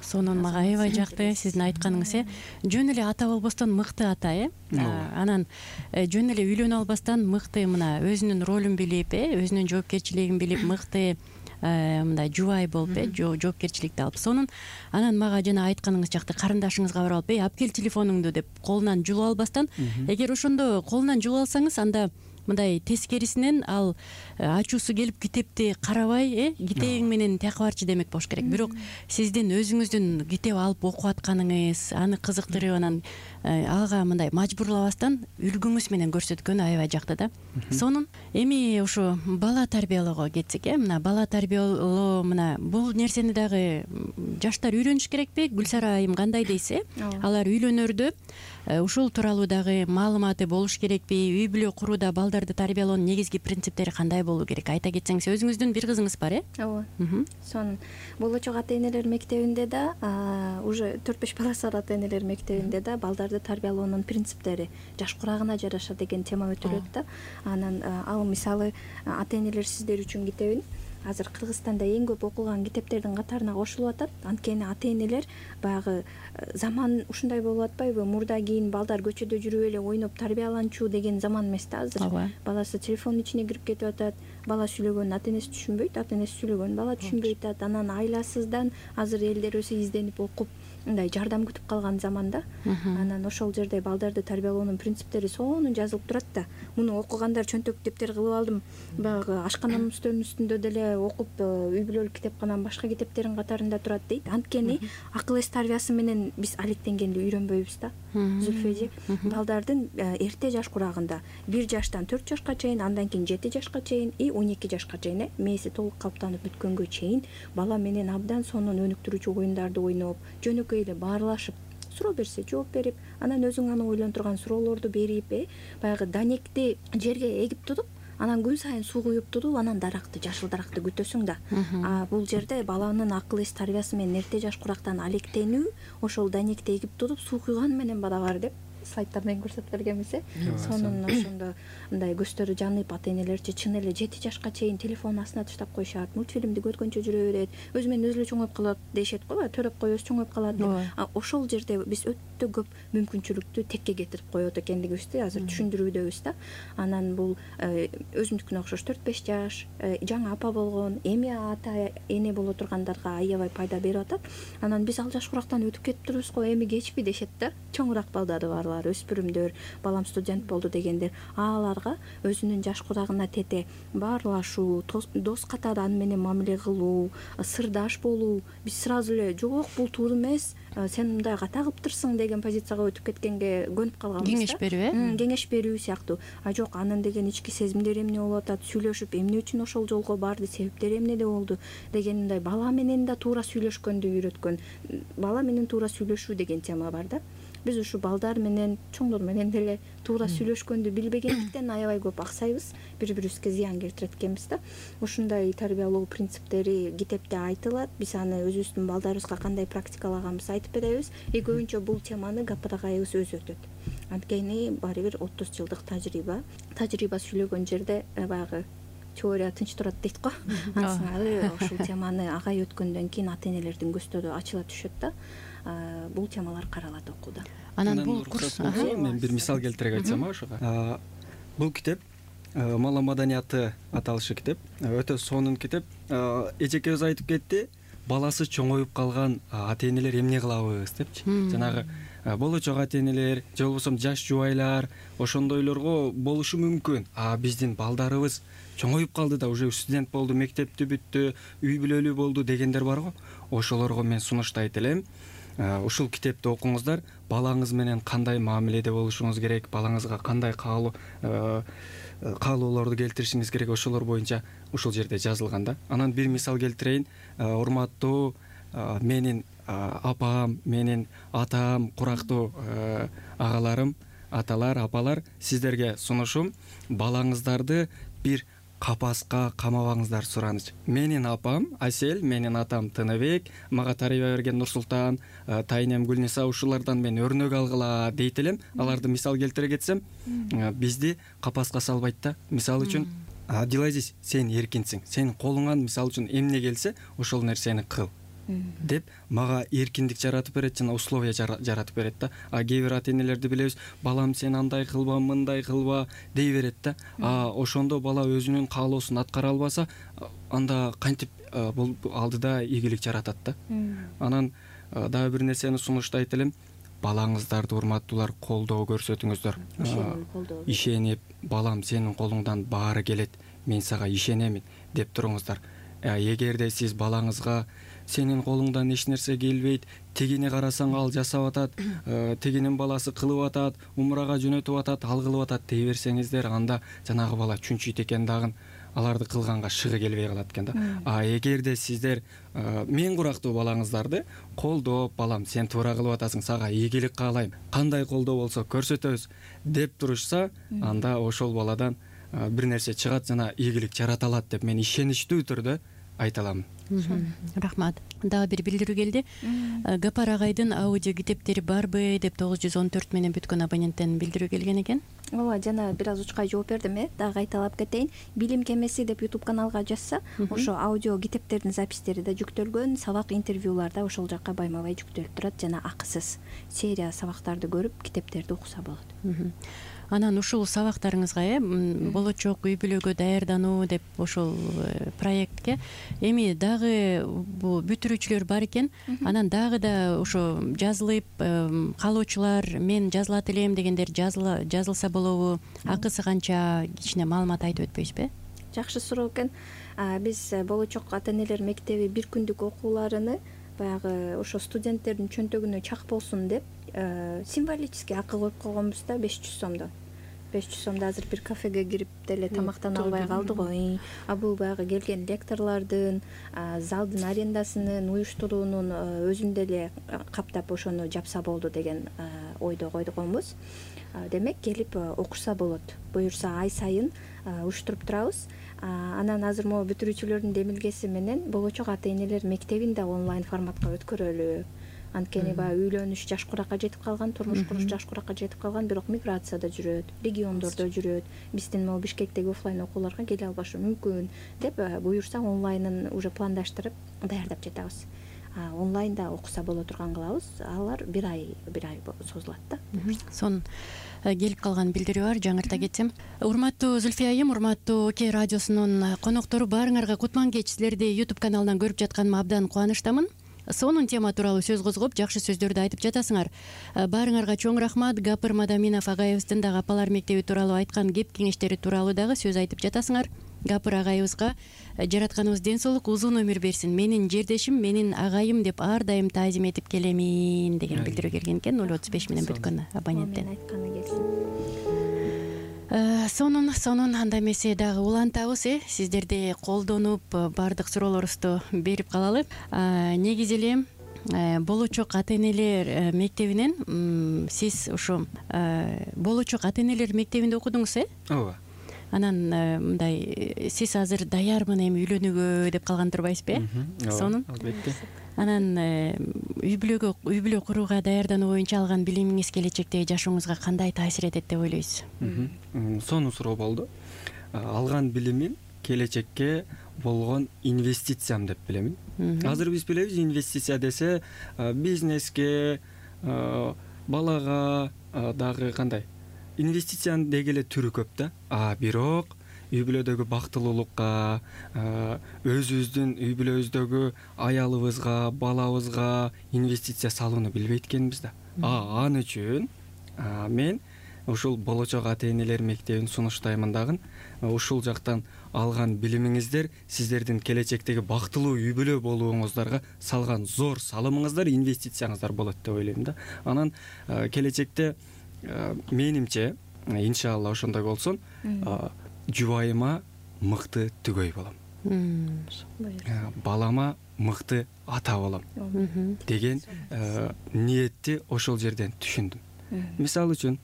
Сонун, мага аябай жакты сиздин айтканыңыз. Э жөн эле ата болбостон мыкты ата, э анан жөн эле үйлөнө албастан мыкты мына өзүнүн ролун билип, э өзүнүн жоопкерчилигин билип, мыкты мындай жубай болуп, э жоопкерчиликти алып. Сонун, анан мага жана айтканыңыз жакты, карындашыңызга барып алып, "Эй, алып кел телефонуңду" деп колунан жулуп албастан, эгер ошондо колунан жулуп алсаңыз, анда мындай тескерисинен ал ачуусу келип китепти карабай э китебиң менен тияка барчы демек болуш керек. Бирок сиздин өзүңүздүн китеп алып окуп атканыңыз, аны кызыктырып анан ага мындай мажбурлабастан үлгүңүз менен көрсөткөн аябай жакты да. Сонун эми ушу бала тарбиялоого кетсек э мына бала тарбиялоо мына бул нерсени дагы жаштар үйрөнүш керекпи? Гүлсара айым кандай дейсиз? Алар үйлөнөрдө ушул тууралуу дагы маалыматы болуш керекпи? Үй бүлө курууда балдарды тарбиялоонун негизги принциптери кандай болуу керек? Айта кетсеңиз, өзүңүздүн бир кызыңыз бар э? Ооба. Сонун болочок ата энелер мектебинде да уже төрт беш баласы бар ата энелер мектебинде да балдарды тарбиялоонун принциптери жаш курагына жараша деген тема өтүлөт да. Анан ал мисалы ата энелер сиздер үчүн китебин азыр Кыргызстанда эң көп окулган китептердин катарына кошулуп атат. Анткени ата энелер баягы заман ушундай болуп атпайбы? Мурда кийин балдар көчөдө жүрүп эле ойноп тарбияланчу деген заман эмес да азыр. Баласы телефондун ичине кирип кетип атат. Бала сүйлөгөнүн ата энеси түшүнбөйт, ата энеси сүйлөгөнүн бала түшүнбөй атат. Анан айласыздан азыр элдер өзү изденип окуп мындай жардам күтүп калган заманда. Анан ошол жерде балдарды тарбиялоонун принциптери сонун жазылып турат да. Муну окугандар чөнтөк китептер кылып алдым. Баягы ашкананын үстөлүнүн үстүндө деле окуп, үй бүлөлүк китепкананын башка китептердин катарында турат дейт. Анткени акыл эс тарбиясы менен биз алектенгенди үйрөнбөйбүз да. Зүлфөжи балдардын эрте жаш курагында бир жаштан төрт жашка чейин, андан кийин жети жашка чейин и он эки жашка чейин мээси толук калыптанып бүткөнгө чейин бала менен абдан сонун өнүктүрүүчү оюндарды ойноп, жөнөкөй эле баарлашып, суроо берсе жооп берип, анан өзүң аны ойлонтурган суроолорду берип, э баягы данекти жерге эгип туруп, анан күн сайын суу куюп туруп, анан даракты, жашыл даракты күтөсүң да. А бул жерде баланын акыл эс тарбиясы менен эрте жаш курактан алектенүү, ошол данекти эгип туруп, суу куйган менен барабар деп слайдтар менен көрсөтүп бергенбиз э. Сонун ошондо мындай көздөрү жанып, ата энелерчи чын эле жети жашка чейин телефонун астына таштап койшат, мультфильмди көргөнчө жүрө берет, өзү менен өзү эле чоңоюп калат дешет го, төрөп коебуз чоңоюп калат деп. Ошол жерде биз өтө көп мүмкүнчүлүктү текке кетирип коет экендигибизди азыр түшүндүрүүдөбүз да. Анан бул өзүмдүкүнө окшош төрт беш жаш, жаңы апа болгон, эми ата эне боло тургандарга аябай пайда берип атат. Анан биз ал жаш курактан өтүп кетип турубуз го, эми кечпи дешет да. Чоңураак балдары барлар, өспүрүмдөр, балам студент болду дегендер, аларга өзүнүн жаш курагына тете баарлашуу, дос катары аны менен мамиле кылуу, сырдаш болуу, биз сразу эле жок бул туура эмес, сен мындай ката кылыптырсың деген позицияга өтүп кеткенге көнүп калганбыз да. Кеңеш берүү э? Кеңеш берүү сыяктуу. А жок, анын деген ички сезимдери эмне болуп атат, сүйлөшүп эмне үчүн ошол жолго барды, себептери эмнеде болду деген мындай бала менен да туура сүйлөшкөндү үйрөткөн. Бала менен туура сүйлөшүү деген тема бар да. Биз ушу балдар менен, чоңдор менен деле туура сүйлөшкөндү билбегендиктен аябай көп аксайбыз, бири-бирибизге зыян келтирет экенбиз да. Ушундай тарбиялоо принциптери китепте айтылат. Биз аны өзүбүздүн балдарыбызга кандай практикалаганбыз айтып беребиз. И көбүнчө бул теманы гапырагайыбыз өзү өтөт. Анткени баары бир отуз жылдык тажрыйба. Тажрыйба сүйлөгөн жерде баягы теория тынч турат дейт го. Ансыңары ушул теманы агай өткөндөн кийин ата энелердин көздөрү ачыла түшөт да. Бул темалар каралат окууда. Анан бул курс мен бир мисал келтире айтсам ошого. Бул китеп Мала маданияты аталышы китеп, өтө сонун китеп. Эжекебиз айтып кетти, баласы чоңоюп калган ата энелер эмне кылабыз депчи. Жанагы болочок ата энелер же болбосо жаш жубайлар ошондойлорго болушу мүмкүн. А биздин балдарыбыз чоңоюп калды да, уже студент болду, мектепти бүттү, үй бүлөлүү болду дегендер барго. Ошолорго мен сунуштайт элем, ушул китепти окуңуздар, балаңыз менен кандай мамиледе болушуңуз керек, балаңызга кандай каалоо каалоолорду келтиришиңиз керек, ошолор боюнча ушул жерде жазылган да. Анан бир мисал келтирейин. Урматтуу менин апам, менин атам, курактуу агаларым, аталар, апалар, сиздерге сунушум, балаңыздарды бир капаска камабаңыздар сураныч. Менин апам Асел, менин атам Тыныбек, мага тарбия берген Нурсултан, тайнем Гүлниса, ушулардан мен өрнөк алгыла дейт элем. Аларды мисал келтире кетсем, бизди капаска салбайт да. Мисалы үчүн, Абдилазиз, сен эркинсиң, сенин колуңан мисалы үчүн эмне келсе, ошол нерсени кыл деп мага эркиндик жаратып берет, жана условия жаратып берет да. А кээ бир ата энелерди билебиз, балам сен андай кылба, мындай кылба дей берет да. А ошондо бала өзүнүн каалоосун аткара албаса, анда кантип бул алдыда ийгилик жаратат да. Анан дагы бир нерсени сунуштайт элем. балаңыздарды урматтуулар колдоо көрсөтүңүздөр. Ишенип, балам сенин колуңдан баары келет, мен сага ишенемин деп туруңуздар. Эгерде сиз балаңызга сенин колуңдан эч нерсе келбейт, тигини карасаң ал жасап атат, тигинин баласы кылып атат, умрага жөнөтүп атат, ал кылып атат дей берсеңиздер, анда жанагы бала чүнчүйт экен дагы, аларды кылганга шыгы келбей калат экен да. А эгерде сиздер мен курактуу балаңыздарды колдоп, балам сен туура кылып атасың, сага ийгилик каалайм, кандай колдоо болсо көрсөтөбүз деп турушса, анда ошол баладан бир нерсе чыгат жана ийгилик жарата алат деп мен ишеничтүү түрдө айта алам. Рахмат. Дагы бир билдирүү келди. Гапар агайдын аудио китептери барбы деп тогуз жүз он төрт менен бүткөн абоненттен билдирүү келген экен. Ооба, жана бир аз учкай жооп бердим, э, дагы кайталап кетейин. Билим кемеси деп YouTube каналга жазса, ошо аудио китептердин запистери да жүктөлгөн, сабак интервьюлар да ошол жакка байма-бай жүктөлүп турат жана акысыз серия сабактарды көрүп, китептерди окуса болот. Анан ушул сабактарыңызга э болочок үй бүлөгө даярдануу деп ошол проектке эми дагы бул бүтүрүүчүлөр бар экен. Анан дагы да ошо жазылып калуучулар мен жазылат элем дегендер жазылса болобу? Акысы канча? Кичине маалымат айтып өтпөйсүзбү? Жакшы суроо экен. Биз болочок ата энелер мектеби бир күндүк окууларыны баягы ошо студенттердин чөнтөгүнө чак болсун деп символический акы коюп койгонбуз да, беш жүз сомдон. беш жүз сомдо азыр бир кафеге кирип деле тамактана албай калды го. А бул баягы келген лекторлордун, залдын арендасынын, уюштуруунун өзүн деле каптап ошону жапса болду деген ойдо койгонбуз. Демек келип окушса болот. Буюрса ай сайын уюштуруп турабыз. Анан азыр могу бүтүрүүчүлөрдүн демилгеси менен болочок ата энелер мектебин да онлайн форматка өткөрөлү. Анткени баягы үйлөнүш жаш куракка жетип калган, турмуш куруш жаш куракка жетип калган, бирок миграцияда жүрөт, региондордо жүрөт. Биздин могу Бишкектеги офлайн окууларга келе албашы мүмкүн деп буюрса онлайнын уже пландаштырып даярдап жатабыз. Онлайнда окуса боло турган кылабыз. Алар бир ай бир ай созулат да. Сон келип калган билдирүү бар, жаңырта кетсем. Урматтуу Зүлфия айым, урматтуу Окей радиосунун коноктору, баарыңарга кутман кеч. Силерди YouTube каналынан көрүп жатканыма абдан кубанычтамын. Сонун тема тууралуу сөз козгоп, жакшы сөздөрдү айтып жатасыңар. Баарыңарга чоң рахмат. Гапыр Мадаминов агайыбыздын дагы апалар мектеби тууралуу айткан кеп кеңештери тууралуу дагы сөз айтып жатасыңар. Гапыр агайыбызга жаратканыбыз ден соолук, узун өмүр берсин. Менин жердешим, менин агайым деп ар дайым таазим этип келемин деген билдирүү келген экен. ноль отуз беш менен бүткөн абоненттен. Мен айтканы келсин. Сонун сонун анда эмесе дагы улантабыз, э сиздерди колдонуп баардык суроолорубузду берип калалы. Негизи эле болочок ата энелер мектебинен сиз ошо болочок ата энелер мектебинде окудуңуз, э? Ооба. Анан мындай сиз азыр даярмын эми үйлөнүүгө деп калган турбайсызбы, э? Сонун. Албетте. Анан үй бүлөгө үй бүлө курууга даярдануу боюнча алган билимиңиз келечектеги жашооңузга кандай таасир этет деп ойлойсуз? Сонун суроо болду. Алган билимим келечекке болгон инвестициям деп билемин. Азыр биз билебиз, инвестиция десе бизнеске, балага дагы кандай инвестициянын деги эле түрү көп да. А бирок үй бүлөдөгү бактылуулукка, өзүбүздүн үй бүлөбүздөгү аялыбызга, балабызга инвестиция салууну билбейт экенбиз да. А ан үчүн мен ушул болочок ата энелер мектебин сунуштаймын дагы. Ушул жактан алган билимиңиздер сиздердин келечектеги бактылуу үй бүлө болууңуздарга салган зор салымыңыздар, инвестицияңыздар болот деп ойлойм да. Анан келечекте менимче, иншалла ошондой болсун, жубайыма мыкты түгөй болом. Балама мыкты ата болом деген ниетти ошол жерден түшүндүм. Мисалы үчүн,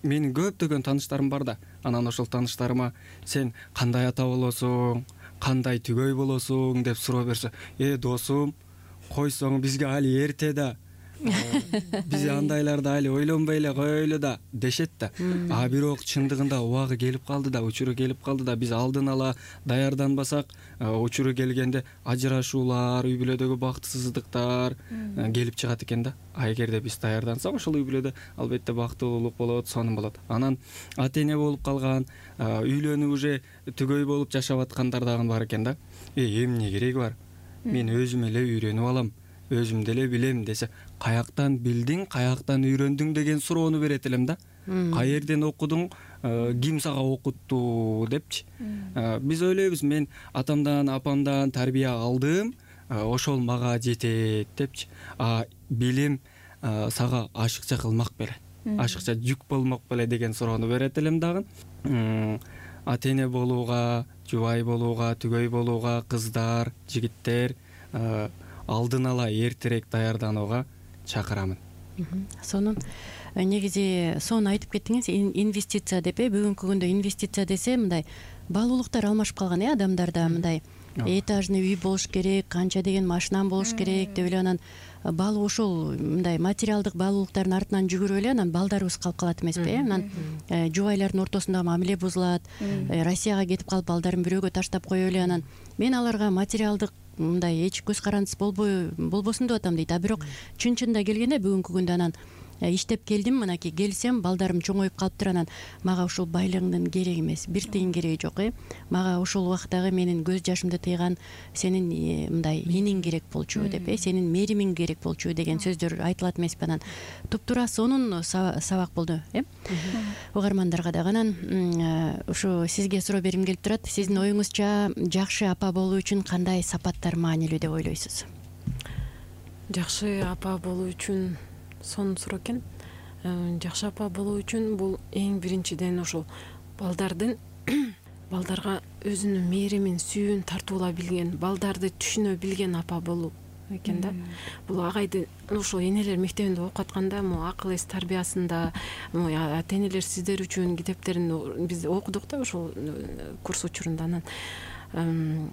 менин көптөгөн тааныштарым бар да. Анан ошол тааныштарыма сен кандай ата болосуң, кандай түгөй болосуң деп суроо берсе, э досум, койсоң бизге али эрте да. Биз андайларды али ойлонбой эле коелу да дешет да. А бирок чындыгында убагы келип калды да, учуру келип калды да. Биз алдын ала даярданбасак, учуру келгенде ажырашуулар, үй бүлөдөгү бактысыздыктар келип чыгат экен да. А эгерде биз даярдансак, ошол үй бүлөдө албетте бактылуулук болот, сонун болот. Анан ата эне болуп калган, үйлөнүп уже түгөй болуп жашап аткандар дагы бар экен да. Э эмне кереги бар? Мен өзүм эле үйрөнүп алам. өзүм деле билем десе, каяктан билдиң, каяктан үйрөндүң деген суроону берет элем да. Каерден окудуң, ким сага окутту депчи. Биз ойлойбуз, мен атамдан, апамдан тарбия алдым, ошол мага жетет депчи. А билим сага ашыкча кылмак беле, ашыкча жүк болмок беле деген суроону берет элем дагы. Ата эне болууга, жубай болууга, түгөй болууга кыздар, жигиттер алдын ала эртерээк даярданууга чакырамын. Сонун негизи сонун айтып кеттиңиз, инвестиция деп. Бүгүнкү күндө инвестиция десе мындай баалуулуктар алмашып калган э адамдарда, мындай этажный үй болуш керек, канча деген машинам болуш керек деп эле, анан баалуу ошол мындай материалдык баалуулуктардын артынан жүгүрүп эле анан балдарыбыз калып калат эмеспи э анан жубайлардын ортосунда мамиле бузулат, Россияга кетип калып балдарын бирөөгө таштап коюп эле, анан мен аларга материалдык мындай эч көз карандысыз болбой болбосун деп атам дейт. А бирок чын чынында келгенде бүгүнкү күндө анан иштеп келдим, мынакей келсем балдарым чоңоюп калыптыр, анан мага ушул байлыгыңдын кереги эмес, бир тыйын кереги жок э мага ушул убактагы менин көз жашымды тыйган сенин мындай иниң керек болчу деп э сенин меримиң керек болчу деген сөздөр айтылат эмеспи. Анан туптуура сонун сабак болду э угармандарга дагы. Анан ушу сизге суроо бергим келип турат. Сиздин оюңузча жакшы апа болуу үчүн кандай сапаттар маанилүү деп ойлойсуз? Жакшы апа болуу үчүн сонун суроо экен. Жакшы апа болуу үчүн бул эң биринчиден ошол балдардын балдарга өзүнүн мээримин, сүйүүн тартуула билген, балдарды түшүнө билген апа болуу экен да. Бул агайды ошол энелер мектебинде окуп атканда, могу акыл эс тарбиясында, ата энелер сиздер үчүн китептерин биз окудук да ошол курс учурунда. Анан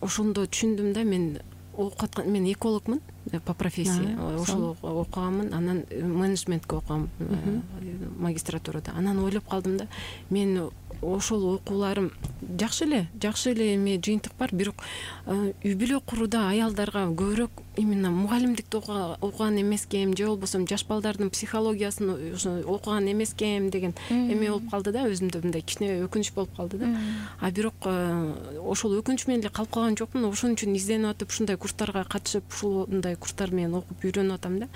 ошондо түшүндүм да, мен окуп аткан, мен экологмун по профессии, ошол окуганмын, анан менеджментке окугам магистратурада. Анан ойлоп калдым да, мен ошол окууларым жакшы эле, жакшы эле эме жыйынтык бар, бирок үй бүлө курууда аялдарга көбүрөөк именно мугалимдикти окуган эмескем, же болбосо жаш балдардын психологиясын окуган эмескем деген эме болуп калды да, өзүмдө мындай кичине өкүнүч болуп калды да. А бирок ошол өкүнүч менен эле калып калган жокмун, ошон үчүн изденип атып, ушундай курстарга катышып, ушундай курстар менен окуп үйрөнүп атам да.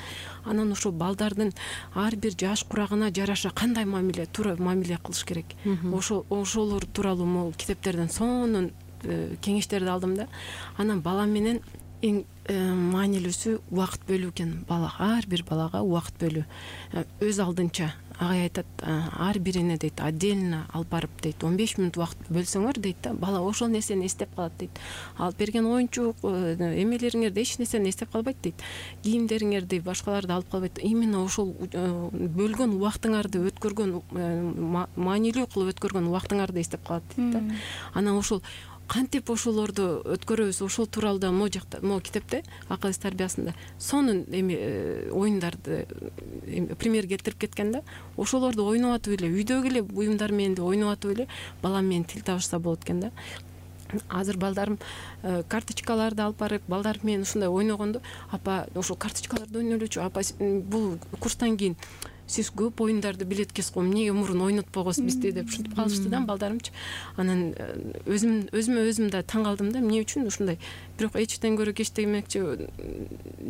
Анан ошол балдардын ар бир жаш курагына жараша кандай мамиле, туура мамиле кылыш керек, ошол ошолор тууралуу могу китептерден сонун кеңештерди алдым да. Анан бала менен эң маанилүүсү убакыт бөлүү экен. Балага, ар бир балага убакыт бөлүү. Өз алдынча агай айтат, ар бирине дейт, отдельно алып барып дейт, он беш мүнөт убакыт бөлсөңөр дейт да, бала ошол нерсени эстеп калат дейт. Алып берген оюнчук эмелериңерди эч нерсени эстеп калбайт дейт. Кийимдериңерди, башкаларды алып калбайт. Именно ошол бөлгөн убактыңарды өткөргөн, маанилүү кылып өткөргөн убактыңарды эстеп калат дейт да. Анан ошол кантип ошолорду өткөрөбүз, ошол тууралуу да могу жакта, могу китепте акыл эс тарбиясында сонун эме оюндарды пример келтирип кеткен да. Ошолорду ойноп атып эле, үйдөгү эле буюмдар менен эле ойноп атып эле бала менен тил табышса болот экен да. Азыр балдарым карточкаларды алып барып, балдар менен ушундай ойногондо, апа ошол карточкаларды ойнолучу, апа бул курстан кийин сиз көп оюндарды билет экенсиз го, эмнеге мурун ойнотпогосуз бизди деп ушинтип калышты да балдарымчы. Анан өзүм өзүмө өзүм да таң калдым да, эмне үчүн ушундай. Бирок эчтен көрө кеч демекчи,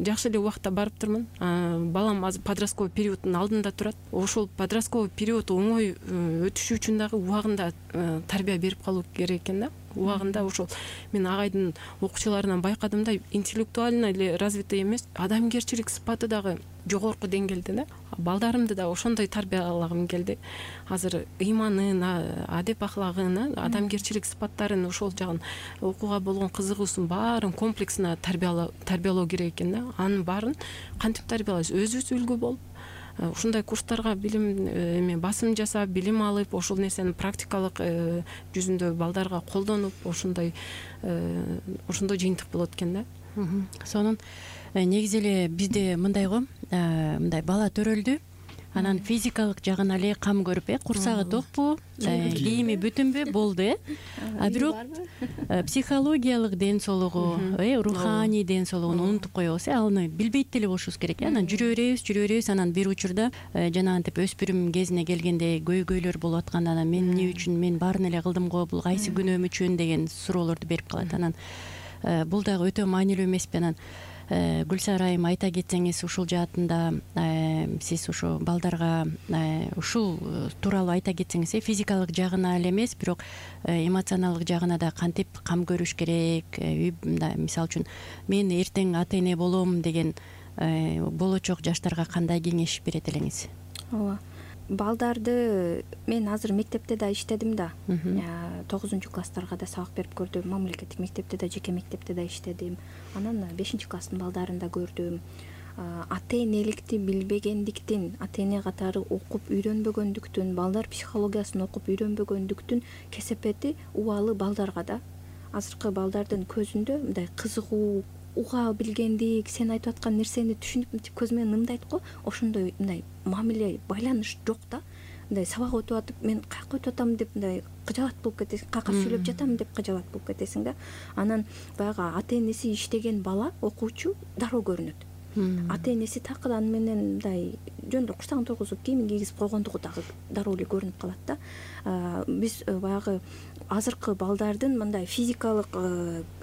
жакшы эле убакта барыптырмын. Балам азыр подростковый периоддун алдында турат. Ошол подростковый период оңой өтүшү үчүн дагы убагында тарбия берип калуу керек экен да. Убагында ошол мен агайдын окуучуларынан байкадым да, интеллектуально эле развитый эмес, адамгерчилик сыпаты дагы жогорку деңгээлде да. Балдарымды да ошондой тарбиялагым келди. Азыр ыйманын, адеп ахлагын, адамгерчилик сыпаттарын, ошол жагын, окууга болгон кызыгуусун баарын комплексно тарбиялоо тарбиялоо керек экен да. Анын баарын кантип тарбиялайбыз? Өзүбүз үлгү болуп, ушундай курстарга билим эме басым жасап, билим алып, ошол нерсени практикалык жүзүндө балдарга колдонуп, ошондой ошондой жыйынтык болот экен да. Сонун негизи эле бизде мындай го, мындай бала төрөлдү, анан физикалык жагын эле кам көрүп, э курсагы токпу, кийими бүтүнбү, болду э. А бирок психологиялык ден соолугу, э руханий ден соолугун унутуп коебуз, э аны билбейт деле болушубуз керек. Анан жүрө беребиз, жүрө беребиз, анан бир учурда жанагынтип өспүрүм кезине келгенде көйгөйлөр болуп атканда, анан мен эмне үчүн, мен баарын эле кылдым го, бул кайсы күнөөм үчүн деген суроолорду берип калат. Анан бул дагы өтө маанилүү эмеспи? Анан Гүлсара айым айта кетсеңиз ушул жаатында сиз ушу балдарга ушул тууралуу айта кетсеңиз, э физикалык жагына эле эмес, бирок эмоционалдык жагына да кантип кам көрүш керек, мындай мисалы үчүн мен эртең ата эне болом деген болочок жаштарга кандай кеңеш берет элеңиз? Ооба, балдарды мен азыр мектепте да иштедим да, тогузунчу класстарга да сабак берип көрдүм, мамлекеттик мектепте да, жеке мектепте да иштедим, анан бешинчи класстын балдарын да көрдүм. Ата энеликти билбегендиктен, ата эне катары окуп үйрөнбөгөндүктүн, балдар психологиясын окуп үйрөнбөгөндүктүн кесепети убалы балдарга да. Азыркы балдардын көзүндө мындай кызыгуу, уга билгендик, сен айтып аткан нерсени түшүнүп мынтип көз менен ымдайт го, ошондой мындай мамиле, байланыш жок да. Мындай сабак өтүп атып, мен каяка өтүп атам деп мындай кыжабат болуп кетесиң, какап сүйлөп жатам деп кыжабат болуп кетесиң да. Анан баягы ата энеси иштеген бала, окуучу дароо көрүнөт. Ата энеси такыр аны менен мындай жөн эле курсагын тойгузуп кийимин кийгизип койгондугу дагы дароо эле көрүнүп калат да. Биз баягы азыркы балдардын мындай физикалык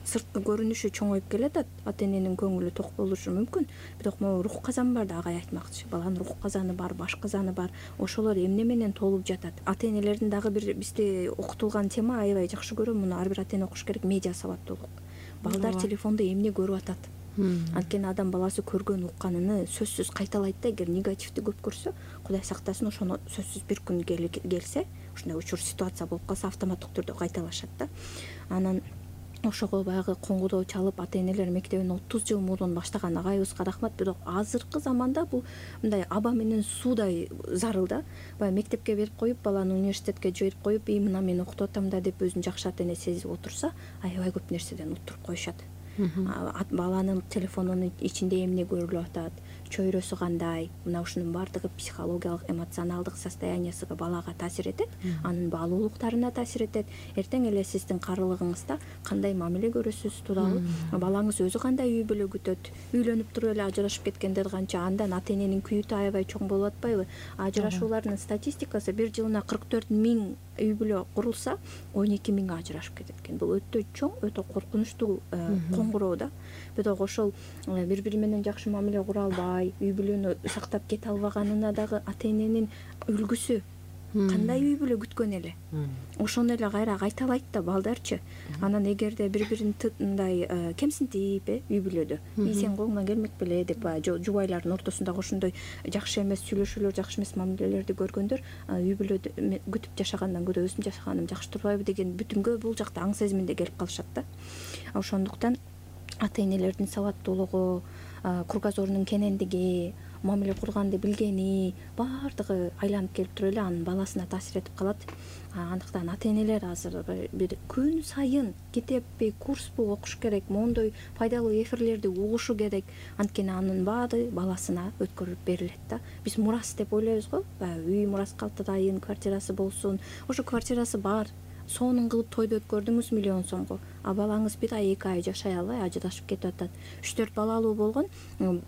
сырткы көрүнүшү чоңоюп келатат, ата эненин көңүлү ток болушу мүмкүн, бирок могу рух казан бар да, агай айтмакчы. Баланын рух казаны бар, баш казаны бар. Ошолор эмне менен толуп жатат? Ата энелердин дагы бир бизде окутулган тема, аябай жакшы көрөм, муну ар бир ата эне окуш керек, медиа сабаттуулук. Балдар телефондо эмне көрүп атат? Анткени адам баласы көргөн укканын сөзсүз кайталайт да, эгер негативди көп көрсө, Кудай сактасын, ошону сөзсүз бир күн келсе, ушундай учур ситуация болуп калса, автоматтык түрдө кайталашат да. Анан ошого баягы коңгуроо чалып, ата энелер мектебин отуз жыл мурун баштаган агайыбызга рахмат, бирок азыркы заманда бул мындай аба менен суудай зарыл да. Баягы мектепке берип коюп, баланы университетке жиберип коюп, и мына мен окутуп атам да деп өзүн жакшы ата эне сезип отурса, аябай көп нерседен уттуруп коюшат. Баланын телефонунун ичинде эмне көрүлүп атат, чөйрөсү кандай, мына ушунун баардыгы психологиялык, эмоционалдык состояниясына балага таасир этет, анын баалуулуктарына таасир этет. Эртең эле сиздин карылыгыңызда кандай мамиле көрөсүз тууралуу, балаңыз өзү кандай үй бүлө күтөт, үйлөнүп туруп эле ажырашып кеткендер канча, андан ата эненин күйүтү аябай чоң болуп атпайбы? Ажырашуулардын статистикасы бир жылына кырк төрт миң үй бүлө курулса, он эки миң ажырашып кетет экен. Бул өтө чоң, өтө коркунучтуу коңгуроо да. Бирок ошол бири-бири менен жакшы мамиле кура албай, үй бүлөнү сактап кете албаганына дагы ата эненин үлгүсү кандай үй бүлө күткөн эле, ошону эле кайра кайталайт да балдарчы. Анан эгерде бири-бирин мындай кемсинтип үй бүлөдө, и сен колуңдан келмек беле деп жубайлардын ортосундагы ошондой жакшы эмес сүйлөшүүлөр, жакшы эмес мамилелерди көргөндөр үй бүлөдө күтүп жашагандан көрө өзүм жашаганым жакшы турбайбы деген бүтүнгө бул жакта аң сезиминде келип калышат да. Ошондуктан ата энелердин сабаттуулугу, кругозорунун кенендиги, мамиле курганды билгени баардыгы айланып келип туруп эле анын баласына таасир этип калат. Андыктан ата энелер азыр бир күн сайын китеппи, курспу окуш керек, мондой пайдалуу эфирлерди угушу керек. Анткени анын баары баласына өткөрүлүп берилет да. Биз мурас деп ойлойбуз го, үй мурас калтырайын, квартирасы болсун. Ошо квартирасы бар, сонун кылып тойду өткөрдүңүз миллион сомго, а балаңыз бир ай, эки ай жашай албай ажырашып кетип атат. үч төрт балалуу болгон,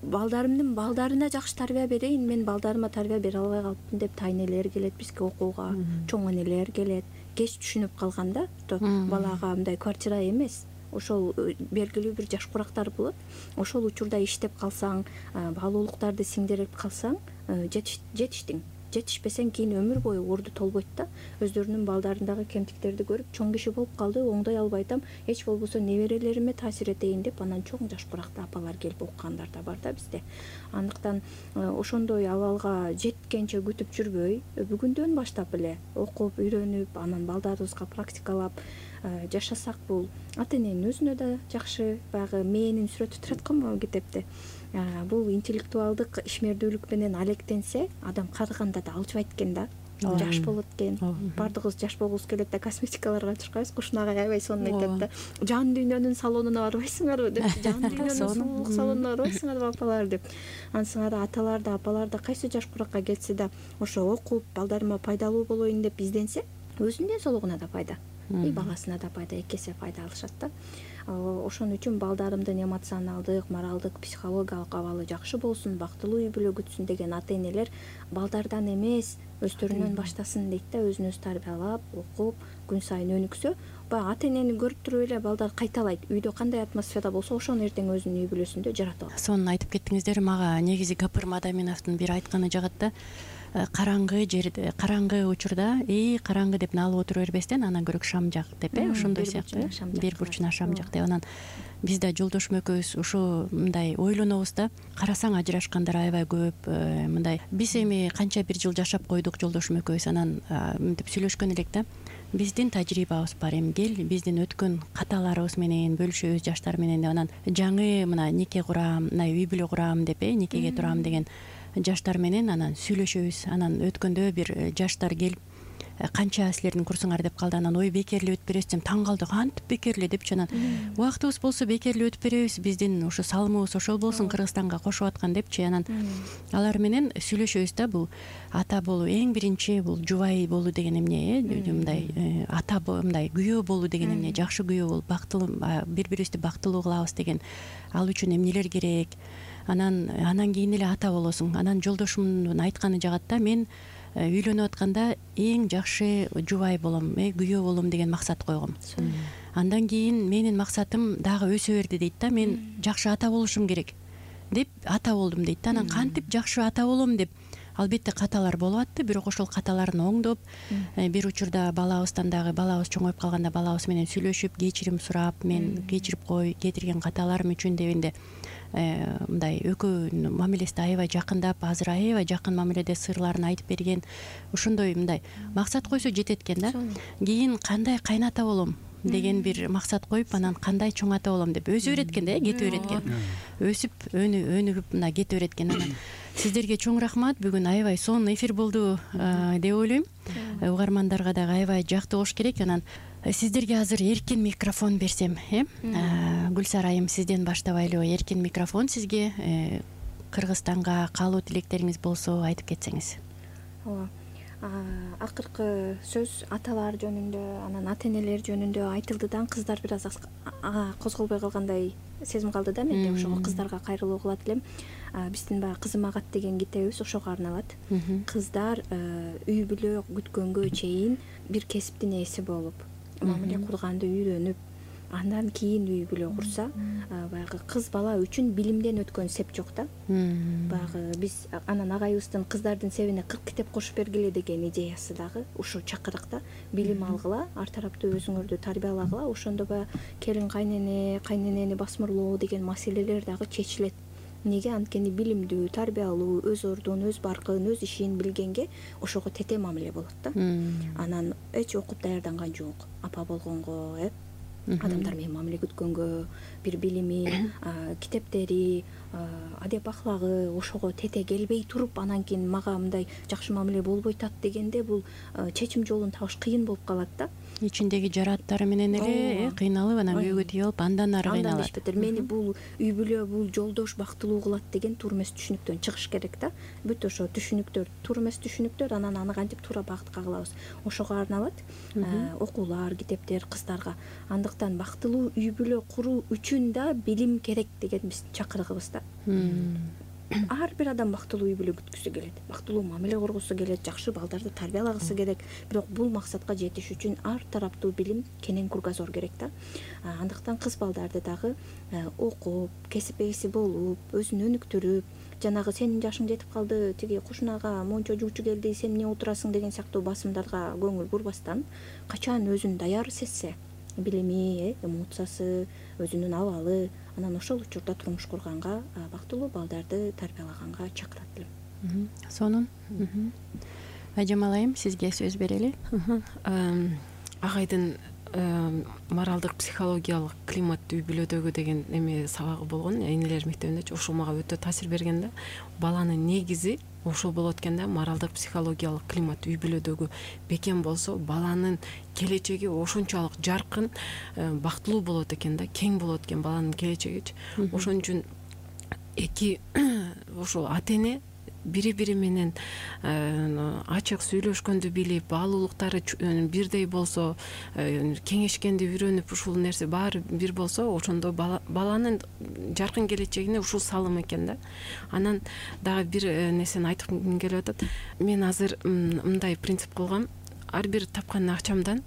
балдарымдын балдарына жакшы тарбия берейин, мен балдарыма тарбия бере албай калыптым деп тайнелер келет бизге окууга, чоң энелер келет. Кеч түшүнүп калганда, балага мындай квартира эмес, ошол белгилүү бир жаш курактар болот. Ошол учурда иштеп калсаң, баалуулуктарды сиңдирип калсаң, жетиштиң. Жетишпесең кийин өмүр бою орду толбойт да. Өздөрүнүн балдарындагы кемтиктерди көрүп, чоң киши болуп калды, оңдой албай атам, эч болбосо неберелериме таасир этейин деп, анан чоң жаш куракта апалар келип окугандар да бар да бизде. Андыктан ошондой абалга жеткенче күтүп жүрбөй, бүгүндөн баштап эле окуп, үйрөнүп, анан балдарыбызга практикалап жашасак, бул ата эненин өзүнө да жакшы. Баягы мээнин сүрөтү турат го могу китепте. Бул интеллектуалдык ишмердүүлүк менен алектенсе, адам карыганда да алжыбайт экен да. Жаш болот экен. Бардыгыбыз жаш болгубуз келет да, косметикаларга чуркайбызго, ушунага аябай сонун айтат да. Жан дүйнөнүн салонуна барбайсыңарбы деп, жан дүйнөнүн сулуулук салонуна барбайсыңарбы апалар деп. Ансыңар аталар да, апалар да кайсы жаш куракка келсе да, ошо окуп, балдарыма пайдалуу болоюн деп изденсе, өзүнүн ден соолугуна да пайда, и баласына да пайда, эки эсе пайда алышат да. Ошон үчүн балдарымдын эмоционалдык, моралдык, психологиялык абалы жакшы болсун, бактылуу үй бүлө күтсүн деген ата энелер балдардан эмес, өздөрүнөн баштасын дейт да. Өзүн өзү тарбиялап, окуп, күн сайын өнүксө, баягы ата энени көрүп туруп эле балдар кайталайт. Үйдө кандай атмосфера болсо ошону эртең өзүнүн үй бүлөсүндө жаратып алат. Сонун айтып кеттиңиздер. Мага негизи Гапыр Мадаминовдун бир айтканы жагат да. Караңгы жерде, караңгы учурда эй караңгы деп налып отура бербестен анан көрөк шам жак деп э ошондой сыяктуу бир бурчуна шам жак деп. Анан биз да жолдошум экөөбүз ушул мындай ойлонобуз да. Карасаң ажырашкандар аябай көп. Мындай биз эми канча бир жыл жашап койдук жолдошум экөөбүз. Анан мынтип сүйлөшкөн элек да. Биздин тажрыйбабыз бар, эми кел биздин өткөн каталарыбыз менен бөлүшөбүз жаштар менен деп. Анан жаңы мына нике курам, мына үй бүлө курам деп э никеге турам деген жаштар менен анан сүйлөшөбүз. Анан өткөндө бир жаштар келип канча силердин курсуңар деп калды. Анан ой бекерли өтүп бересиз десем таң калды. Кантип бекерли депчи. Анан убактыбыз болсо бекерли өтүп беребиз. Биздин ушу салымыбыз ошол болсун Кыргызстанга кошуп аткан депчи. Анан алар менен сүйлөшөбүз да. Бул ата болуу эң биринчи бул жубай болуу деген эмне э мындай ата мындай күйөө болуу деген эмне, жакшы күйөө болуп бактылуу бири бирибизди бактылуу кылабыз деген. Ал үчүн эмнелер керек? Анан анан кийин эле ата болосуң. Анан жолдошумдун айтканы жагат да. Мен үйлөнүп атканда эң жакшы жубай болом, э күйөө болом деген максат койгом. Андан кийин менин максатым дагы өсө берди дейт да. Мен жакшы ата болушум керек деп ата болдум дейт да. Анан кантип жакшы ата болом деп албетте каталар болуп атты. Бирок ошол каталарын оңдоп, бир учурда балабыздан дагы балабыз чоңоюп калганда балабыз менен сүйлөшүп, кечирим сурап, мен кечирип кой, кетирген каталарым үчүн дегенде мындай экөөнүн мамилеси аябай жакындап, азыр аябай жакын мамиледе сырларын айтып берген. Ошондой мындай максат койсо жетет экен да. Кийин кандай кайната болом деген бир максат коюп, анан кандай чоң ата болом деп өзү өйрөткөн да, кете береткен. Өсүп, өнү өнүгүп мына кете береткен. Анан сиздерге чоң рахмат. Бүгүн аябай сонун эфир болду деп ойлойм. Угармандарга дагы аябай жактуу болуш керек. Анан сиздерге азыр эркин микрофон берсем, э? Гүлсара айым, сизден баштабайлы. Эркин микрофон сизге. Кыргызстанга каалоо тилектериңиз болсо айтып кетсеңиз. Ооба. Акыркы сөз аталар жөнүндө, анан ата энелер жөнүндө айтылды да. Кыздар бир аз козголбой калгандай сезим калды да менде. Ошого кыздарга кайрылуу кылат элем. Биздин баягы Кызым агат деген китебибиз ошого арналат. Кыздар үй бүлө күткөнгө чейин бир кесиптин ээси болуп, мамиле курганды үйрөнүп, андан кийин үй бүлө курса, баягы кыз бала үчүн билимден өткөн сеп жок да. Баягы биз анан агайыбыздын кыздардын себине кырк китеп кошуп бергиле деген идеясы дагы ушу чакырыкта. Билим алгыла, ар тараптуу өзүңөрдү тарбиялагыла, ошондо баягы келин кайнене, кайненени басмырлоо деген маселелер дагы чечилет. Неге? Анткени билимдүү, тарбиялуу, өз ордун, өз баркын, өз ишин билгенге ошого тете мамиле болот да. Анан эч окуп даярданган жок. Апа болгонго, э адамдар менен мамиле күткөнгө, бир билими, китептери, адеп аклагы ошого тете келбей туруп, анан кийин мага мындай жакшы мамиле болбой атат дегенде бул чечим жолун табыш кыйын болуп калат да. Ичиндеги жараттары менен эле кыйналып, анан күйөөгө тийип, андан ары кыйналат. Мени бул үй бүлө, бул жолдош бактылуу кылат деген туура эмес түшүнүктөн чыгыш керек да. Бүт ошо түшүнүктөр, туура эмес түшүнүктөр, анан аны кантип туура багытка кылабыз. Ошого арналат окуулар, китептер кыздарга. Андыктан бактылуу үй бүлө куруу үчүн да билим керек деген биздин чакырыгыбыз да. Ар бир адам бактылуу үй бүлө күткүсү келет, бактылуу мамиле кургусу келет, жакшы балдарды тарбиялагысы керек. Бирок бул максатка жетиш үчүн ар тараптуу билим, кенен кругозор керек да. Андыктан кыз балдарды дагы окуп, кесип ээси болуп, өзүн өнүктүрүп, жанагы сенин жашың жетип калды, тиги кушунага мончо жуучу келди, сен эмне отурасың деген сыяктуу басымдарга көңүл бурбастан, качан өзүн даяр сезсе, билими, эмоциясы, өзүнүн абалы, анан ошол учурда турмуш курганга, бактылуу балдарды тарбиялаганга чакырат элем. Сонун. Ажамал айым, сизге сөз берели. Агайдын моралдык психологиялык климат үй бүлөдөгү деген эме сабагы болгон, энелер мектебинде ошол мага өтө таасир берген да. Баланын негизи ошол болот экен да. Моралдык психологиялык климат үй бүлөдөгү бекем болсо, баланын келечеги ошончолук жаркын, бактылуу болот экен да, кең болот экен баланын келечегичи. Ошон үчүн эки ошол ата эне бири-бири менен ачык сүйлөшкөндү билип, баалуулуктары бирдей болсо, кеңешкенди үйрөнүп, ушул нерсе баары бир болсо, ошондо баланын жаркын келечегине ушул салым экен да. Анан дагы бир нерсени айткым келип атат. Мен азыр мындай принцип кылгам. Ар бир тапкан акчамдан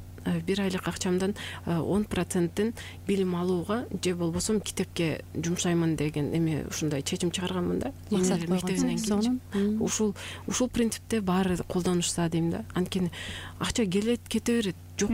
бир айлык акчамдан он процентин билим алууга же болбосо китепке жумшаймын деген эме ушундай чечим чыгарганмын да. Максат койгонсуң. Ушул ушул принципте баары колдонушса дейм да. Анткени акча келет, кете берет. Жок,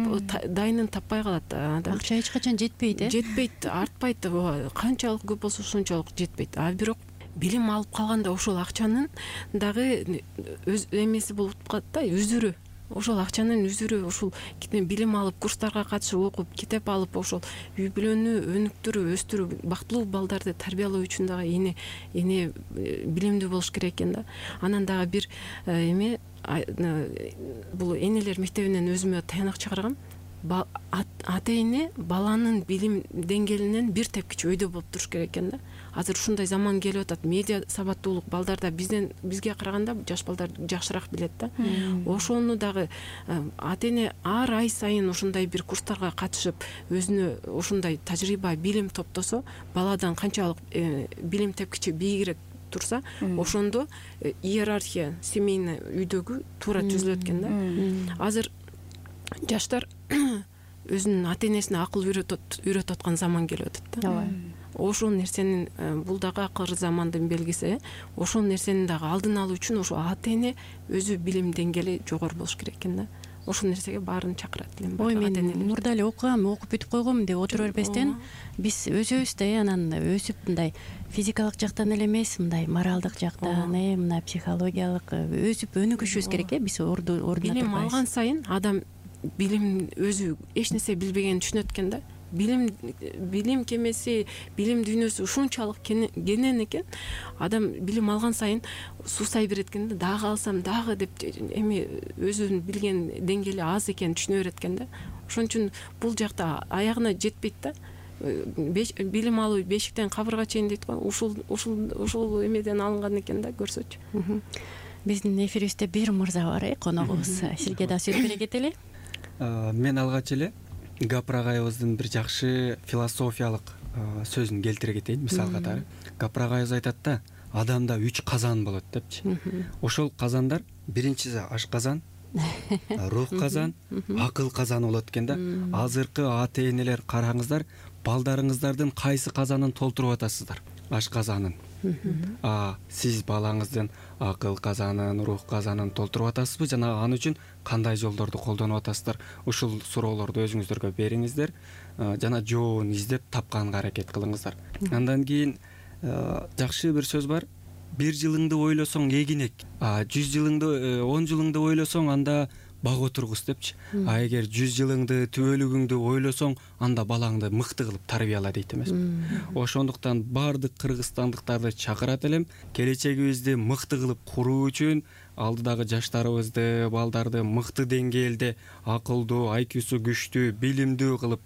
дайынын таппай калат. Акча эч качан жетпейт, э? Жетпейт, артпайт. Канчалык көп болсо ошончолук жетпейт. А бирок билим алып калганда ошол акчанын дагы өз эмеси болуп калат да, үзүрү. Ошол акчанын үзүрү ушул билим алып, курстарга катышып окуп, китеп алып, ошол үй бүлөнү өнүктүрүп, өстүрүп, бактылуу балдарды тарбиялоо үчүн дагы эне эне билимдүү болуш керек экен да. Анан дагы бир эме бул энелер мектебинен өзүмө таянак чыгаргам. Ата эне баланын билим деңгээлинен бир тепкич өйдө болуп туруш керек экен да. Азыр ушундай заман келип атат. Медиа сабаттуулук балдарда бизден бизге караганда жаш балдар жакшыраак билет да. Ошону дагы ата эне ар ай сайын ушундай бир курстарга катышып, өзүнө ушундай тажрыйба, билим топтосо, баладан канчалык билим тепкичи бийигирээк турса, ошондо иерархия семейный үйдөгү туура түзүлөт экен да. Азыр жаштар өзүнүн ата энесине акыл үйрөтүп аткан заман келип атат да. Ошол нерсенин бул дагы акыркы замандын белгиси. Ошол нерсенин дагы алдын алуу үчүн ошо ата эне өзү билим деңгээли жогору болуш керек экен да. Ошол нерсеге баарын чакырат элем. Ой, мен мурда эле окугам, окуп бүтүп койгом деп отура бербестен, биз өзүбүз да анан өсүп мындай физикалык жактан эле эмес, мындай моралдык жактан, э, мына психологиялык өсүп өнүгүшүбүз керек, э, биз ордуна турбайбыз. Билим алган сайын адам билим өзү эч нерсе билбегенин түшүнөт экен да. Билим билим кемеси, билим дүйнөсү ушунчалык кенен экен. Адам билим алган сайын суусай берет экен да, дагы алсам дагы деп эми өзүнүн билген деңгээли аз экенин түшүнө берет экен да. Ошон үчүн бул жакта аягына жетпейт да. Билим алуу бешиктен кабырга чейин дейт го. Ушул ушул ушул эмеден алынган экен да, көрсөчү. Биздин эфирибизде бир мырза бар, э, коногубуз. Сизге да сөз бере кетели. Мен алгач эле Гапыр агайыбыздын бир жакшы философиялык сөзүн келтире кетейин. Мисал катары Гапыр агайыбыз айтат да, адамда үч казан болот депчи. Ошол казандар биринчиси ашказан, рух казан, акыл казаны болот экен да. Азыркы ата энелер караңыздар, балдарыңыздардын кайсы казанын толтуруп атасыздар? Ашказанын. А сиз балаңыздын акыл казанын, рух казанын толтуруп атасызбы жана ал үчүн кандай жолдорду колдонуп атасыздар? Ушул суроолорду өзүңүздөргө бериңиздер жана жообун издеп тапканга аракет кылыңыздар. Андан кийин жакшы бир сөз бар. Бир жылыңды ойлосоң эгин эк, а жүз жылыңды, он жылыңды ойлосоң анда бак отургуз депчи. А эгер жүз жылыңды, түбөлүгүңдү ойлосоң, анда балаңды мыкты кылып тарбияла дейт эмесми. Ошондуктан баардык кыргызстандыктарды чакырат элем, келечегибизди мыкты кылып куруу үчүн алдыдагы жаштарыбызды, балдарды мыкты деңгээлде акылдуу, ай кьюсу күчтүү, билимдүү кылып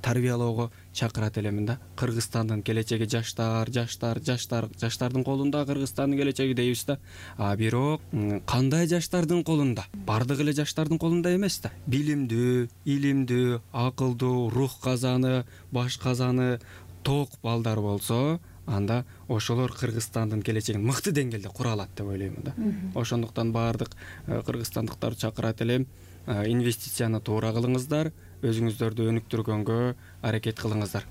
тарбиялоого чакырат элемин да. Кыргызстандын келечеги жаштар, жаштар, жаштар, жаштардын колунда Кыргызстандын келечеги дейбиз да. А бирок кандай жаштардын колунда? Бардык эле жаштардын колунда эмес да. Билимдүү, илимдүү, акылдуу, рух казаны, баш казаны ток балдар болсо, анда ошолор Кыргызстандын келечегин мыкты деңгээлде кура алат деп ойлоймун да. Ошондуктан баардык кыргызстандыктарды чакырат элем, инвестицияны туура кылыңыздар, өзүңүздөрдү өнүктүргөнгө аракет кылыңыздар.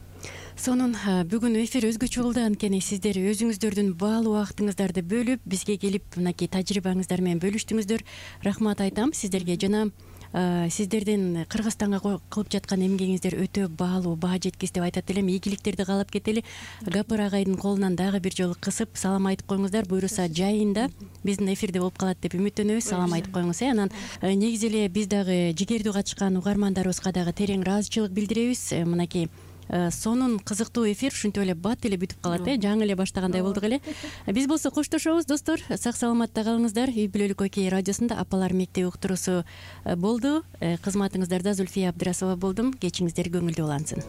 Сонун бүгүн эфир өзгөчө болду, анткени сиздер өзүңүздөрдүн баалуу убактыңыздарды бөлүп бизге келип мынакей тажрыйбаңыздар менен бөлүштүңүздөр. Рахмат айтам сиздерге. Жана сиздердин Кыргызстанга кылып жаткан эмгегиңиздер өтө баалуу, баа жеткис деп айтат элем. Ийгиликтерди каалап кетели. Гапыр агайдын колунан дагы бир жолу кысып салам айтып коюңуздар. Буюрса жайында биздин эфирде болуп калат деп үмүттөнөбүз. Салам айтып коюңуз. Э анан негизи эле биз дагы жигердүү катышкан угармандарыбызга дагы терең ыраазычылык билдиребиз. Мынакей сонун кызыктуу эфир ушинтип эле бат эле бүтүп калат, э жаңы эле баштагандай болдук эле. Биз болсо коштошобуз достор. Сак саламатта калыңыздар. Үй бүлөлүк окей радиосунда апалар мектеби уктуруусу болду. Кызматыңыздарда Зульфия Абдрасова болдум. Кечиңиздер көңүлдүү улансын.